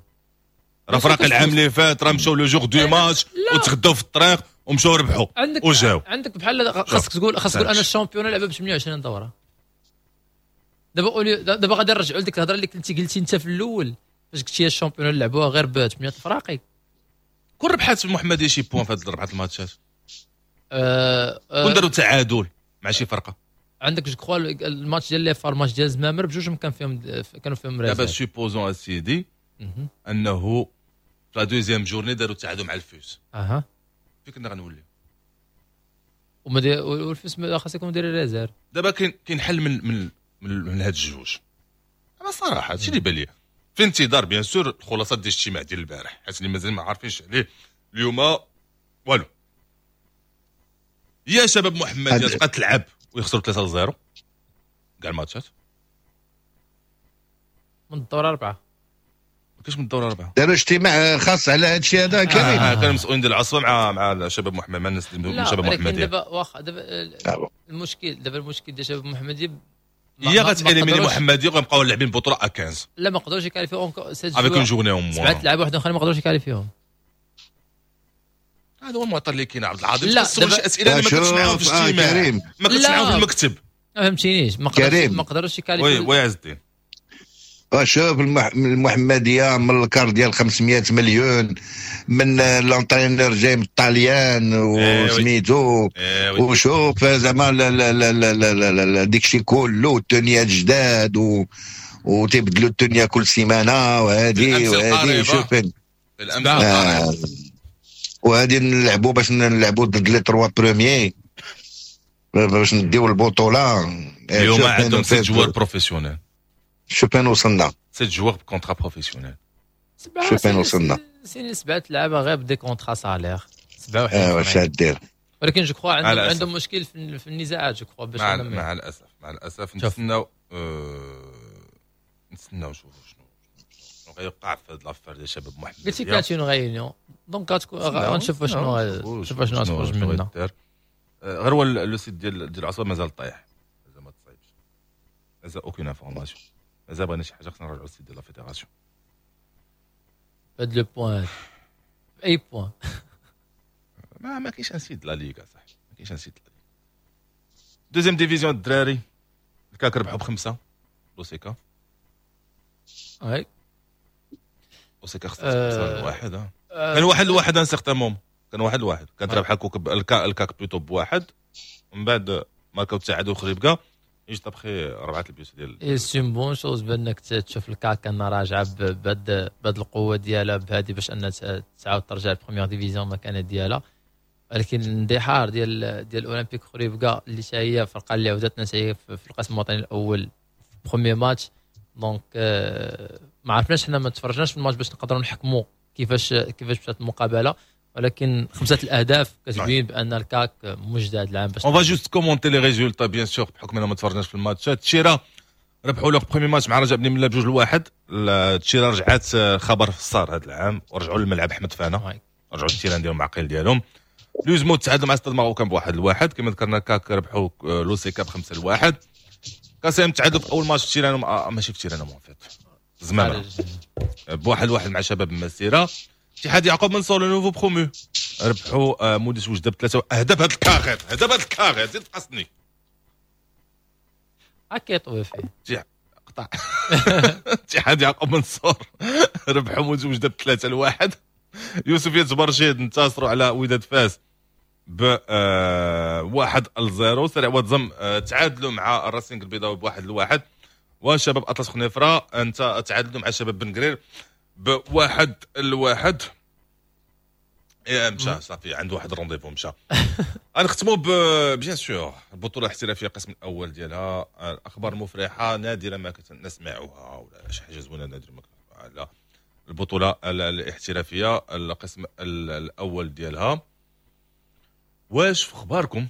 راه فرق العام اللي فات راه مشاو le jour du match وتغداو في الطريق ومشاو ربحوا وجاو. عندك بحال خاصك تقول انا ال championnat لعبه ب 28 دوره. دابا دابا غادي نرجعوا لديك الهضرة اللي كنتي قلتي انت في الاول فاش قلتي ال championnat لعبوها غير ب 8 الفراقي. كون ربحات المحمدية شي points في هاد ربعه الماتشات كون داروا تعادل مع شي فرقه. عندك je crois الماتش ديال les FAR الماتش ديال زمامر بجوجهم كانوا فيهم دابا supposons اسيدي انه في la deuxième journée داروا تعادل مع الفوس. فين كنا غنوليو؟ والفوس خاص يكون داير réserve. دابا كاين حل من من من هاد الجوج. انا صراحة هادشي اللي بان لي في انتظار bien sûr الخلاصات ديال الاجتماع ديال البارح، حيت اللي مازال ما عارفينش عليه اليوم والو. يا شباب محمديه تبقى تلعب ويخسروا 3-0 كاع الماتشات من الدور 4. ما كاينش من الدور 4. داروا اجتماع خاص على هذا الشيء هذا كريم. كانوا مسؤولين ديال العصبة مع شباب محمد، مع الناس من شباب محمديه. دابا واخا دابا المشكل ديال شباب محمديه يا غت éliminer محمديه وغنبقاو لاعبين بطوله à 15. لا ما قدروش يكاليفيو avec une journée en moins. سبعة لعابه واحد اخرين ما قدروش يكاليفيوهم. هذا هو المعطى اللي كاين عبد العظيم. لا شي اسئلة اللي ما كنتش معاهم في الاجتماع، ما كنتش معاهم في المكتب، ما فهمتينيش. ما قدروش يكاليفيو. oui oui عز الدين. شوف المحمدية من ال car ديال 500 مليون من l'entraîneur جاي من الطاليان وسميتو وشوف زعما لا لا لا لا لا لا ديك الشيء كله التونيات جداد وتيبدلوا الدنيا كل سيمانه وهذه وهذه شوف وهذه نلعبوا باش نلعبوا ضد les trois premiers باش نديو البطولة. اليوم عندهم 7 joueurs professionnels. شوف فين وصلنا، 7 joueurs ب contrat professionnel. شوف فين وصلنا، سيني 7 لعابه غير ب des contrats salaires 7. واش غدير؟ ولكن je crois عندهم مشكل في النزاعات je crois باش مع الاسف مع الاسف نتسناو نتسناو نشوفوا شنو غيوقع في هاد l'affaire ديال شباب محمد. قلتي كانت une réunion donc غنشوفوا شنو شوف شنو غتخرج منها. غير هو le site ديال العصبة مازال طايح، مازال ما تصايبش، مازال aucune information، مازال بغينا شي حاجة خصنا نراجعوا ال site ديال la fédération. هاد le point اي point ما كاينش un site la ligue صاحبي، ما كاينش un site la ligue. deuxième division الدراري الكاك ربحوا ب5 لوسيكا. oui لوسيكا خسرت 5-1. كان 1-1 un certain moment، كان 1-1، كانت رابحه كوكب الكاك plutôt بواحد، ومن بعد ماركاو التعادل خريبكا juste après 4 ال buts ديال. c'est une bonne chose بانك تشوف الكاك ان راجعه بهاد القوة ديالها بهادي باش ان تعاود ترجع ال première division مكانه ديالها. ولكن الاندحار ديال اولمبيك خريبكا اللي حتى هي فرقه اللي عودتنا حتى هي في القسم الوطني الاول في premier match. donc ما عرفناش حنا، ما تفرجناش في الماتش باش نقدروا نحكموا كيفاش مشات المقابلة، ولكن 5 الاهداف كتبين بان الكاك مجدد هذا العام. باش on va juste commenter les résultats bien sûr بحكم اننا ما تفرجناش في الماتشات. تشيرا ربحوا leur premier match مع رجاء بني ملا 2-1. تشيرا رجعت خبر في الصار هذا العام ورجعوا للملعب احمد فانا، رجعوا ال terrain ديالهم معقل ديالهم. لوزمو تعادلوا مع ستاد marocain ب1-1 كما ذكرنا. كاك ربحوا لوسيكا ب5-1. كاسيم تعادلوا في اول ماتش في terrain هم، ماشي في terrain هم فيت زمان ب1-1 مع شباب المسيرة. اتحاد يعقوب منصور le nouveau promu ربحوا موديس وجده ب3 اهداف. هذا الكاغيط هذا الكاغيط زيد قصني هكا يطوي فيه قطع. اتحاد يعقوب منصور ربحوا موديس وجده ب3-1. يوسف برشيد انتصروا على وداد فاس ب 1-0. سريع واتزم تعادلوا مع الراسينغ البيضاوي ب1-1. وشباب اطلس خنيفره انت تعادلوا مع شباب بن قرير ب1-1. يا مشى صافي عنده واحد ال rendez-vous مشى. غنختموا bien sûr البطولة الاحترافية القسم الاول ديالها. الاخبار مفرحة نادرا ما نسمعها ولا شي حاجة زوينة نادرا ما على البطولة الاحترافية القسم الاول ديالها. واش في اخباركم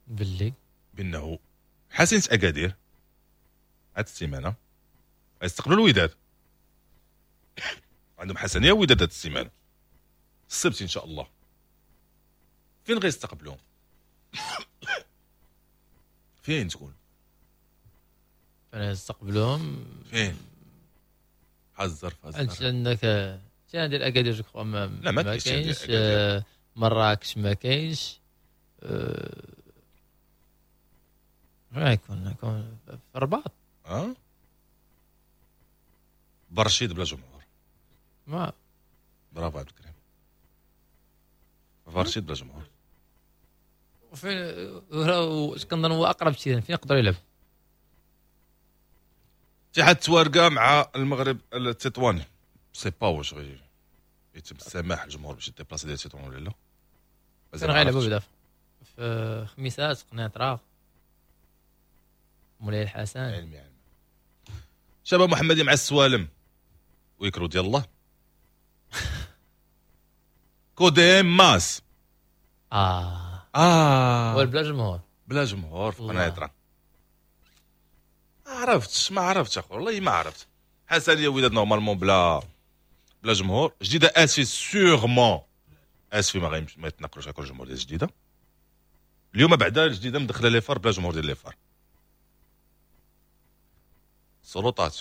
باللي بانه حسنة اكادير هاد السيمانة غيستقبلوا الوداد؟ عندهم حسنيه ووداد هاد السيمانة السبت ان شاء الله. فين غيستقبلوهم؟ فين تكون؟ فين يستقبلوهم؟ فين؟ حذر انت عندك terrain ديال اكادير je crois ما كاينش، مراكش ما كاينش، غيكون في الرباط. برشيد بلا جمهور. ما برافو عبد الكريم، برشيد بلا جمهور. وفين كنظن هو اقرب شيء فين يقدر يلعب؟ اتحاد توارقه مع المغرب التطواني. sais pas واش غي يتم السماح للجمهور باش يديبلاسي ديال تطوان ولا لا. كان غيلعبوا بعدا في خميسات قنيطره مولاي الحسن. علمي علمي. شباب محمدي مع السوالم ويكرو ديال الله. كوديم ماس بلا جمهور، بلا جمهور في قنيطره. عرفتش ما عرفتش اخو والله ما عرفت. حسنيه وداد normalement بلا جمهور. جديدة اسفي sûrement اسفي ما يتنقلوش هكا الجمهور ديال جديدة. اليوم بعدا الجديدة مدخله les FAR بلا جمهور ديال les FAR. السلطات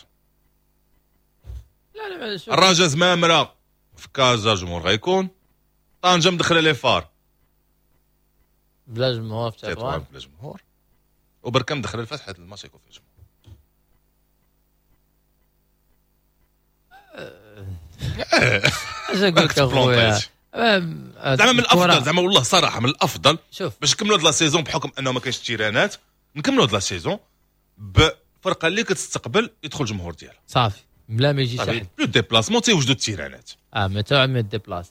لا لا الرجاء زمامرة في كازا جمهور غيكون. طنجه مدخله les FAR بلا جمهور في تطوان بلا جمهور. وبركة مدخله الفاس حيت الماتش يكون فيه جمهور. اش نقول لك اخويا زعما من الافضل، زعما والله صراحة من الافضل شوف باش نكملوا هاد la saison بحكم انه ما كاينش تيرانات، نكملوا هاد la saison ب الفرقة اللي كتستقبل يدخل الجمهور ديالها صافي بلا ما يجي شي حد. le déplacement تيوجدوا التيرانات. ما تا ما déplace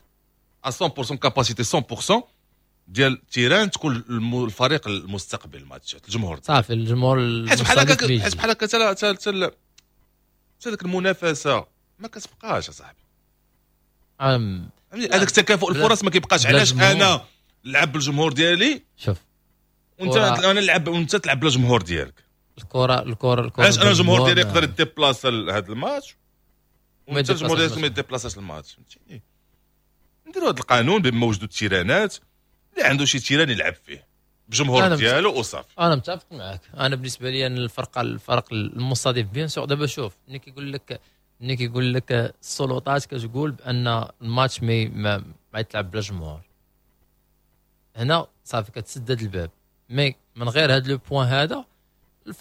100% capacité 100% ديال ال terrain تكون الفريق المستقبل الماتشات الجمهور صافي الجمهور. حيت بحال هكا، حيت بحال هكا حتى ديك المنافسة ما كتبقاش اصاحبي. هذاك تكافؤ الفرص ما كيبقاش. علاش انا نلعب بالجمهور ديالي شوف وانت انا نلعب وانت تلعب بلا جمهور ديالك؟ الكره علاش انا الجمهور ديالي يقدر يديبلاصا لهذا الماتش وانت الجمهور ديالك ما يديبلاصاش الماتش؟ فهمتيني؟ نديروا هذا القانون بما وجدوا التيرانات، اللي عنده شي terrain يلعب فيه بجمهور ديالو وصافي. انا متفق معاك. انا بالنسبة لي ان الفرق المستضيف bien sûr. دابا شوف ملي كيقول لك السلطات كتقول بان الماتش ما يتلعب بلا جمهور، هنا صافي كتسدد الباب. mais من غير هذا le point هذا،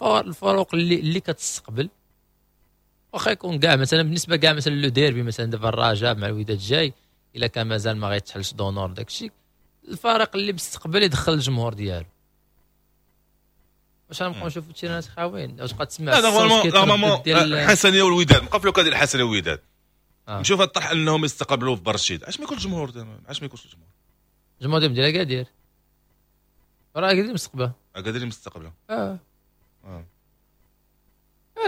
الفروق اللي كتستقبل واخا يكون كاع مثلا بالنسبة كاع مثلا le derby مثلا دابا الرجاء مع الوداد جاي، الا كان مازال ما غيتحلش d'honneur داكشي، الفريق اللي مستقبل يدخل الجمهور ديالو. واش غنبقاو نشوفوا التيرانات خاويين؟ واش تبقى تسمع normalement الحسنيه والوداد بقى في le cas ديال الحسنيه والوداد. نشوف الطرح انهم يستقبلوا في برشيد، علاش ما يكونش الجمهور؟ علاش ما يكونش الجمهور؟ الجمهور ديال اكادير راه اكادير مستقبله، اكادير مستقبله.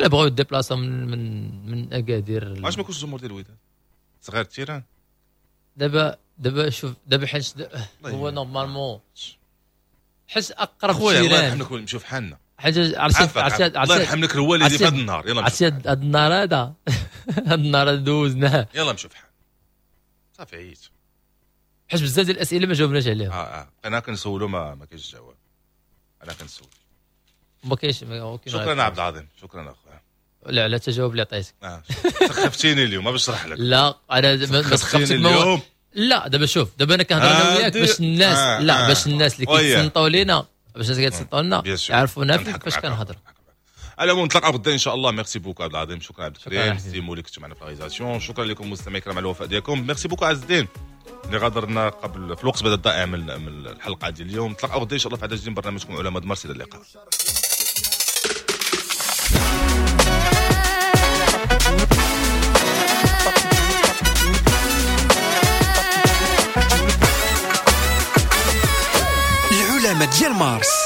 لا بغاو يديبلاصاو من اكادير. علاش ما يكونش الجمهور ديال الوداد صغير ال terrain؟ دابا شوف دابا حيت هو normalement حيت اقرب خويا الله يرحم لك نمشيو في حالنا. حاجة عرفتي الله يرحم لك الوالد في هذا النهار. يلا عرفتي هذا النهار هذا هذا النهار دوزناه. يلا نمشيو في حالنا صافي عييت. حيت بزاف ديال الاسئلة ما جاوبناش عليها. انا كنسولو ما كاينش جواب. انا كنسول ما كاينش. شكرا عبد العظيم، شكرا اخويا. لا على التجاوب اللي عطيتك. سخفتيني اليوم ما باش نشرح لك. لا انا ما سخفتك اليوم. لا دابا شوف دابا انا كنهضر انا وياك باش الناس لا باش الناس اللي كيتصنتوا لينا، باش الناس كيتصنتوا لنا يعرفونا كيفاش كنهضر. على العموم نتلاقاو غدا ان شاء الله. merci beaucoup عبد العظيم، شكرا عبد الكريم سيمو اللي كنتو معنا في la réalisation، شكرا لكم مستمعي الكرام على الوفاء ديالكم. merci beaucoup عز الدين اللي غادرنا قبل في الوقت بدل الضائع من الحلقة ديال اليوم. نتلاقاو غدا ان شاء الله في عدد جديد من برنامجكم علماء مارس. الى اللقاء. العلماء ديال مارس.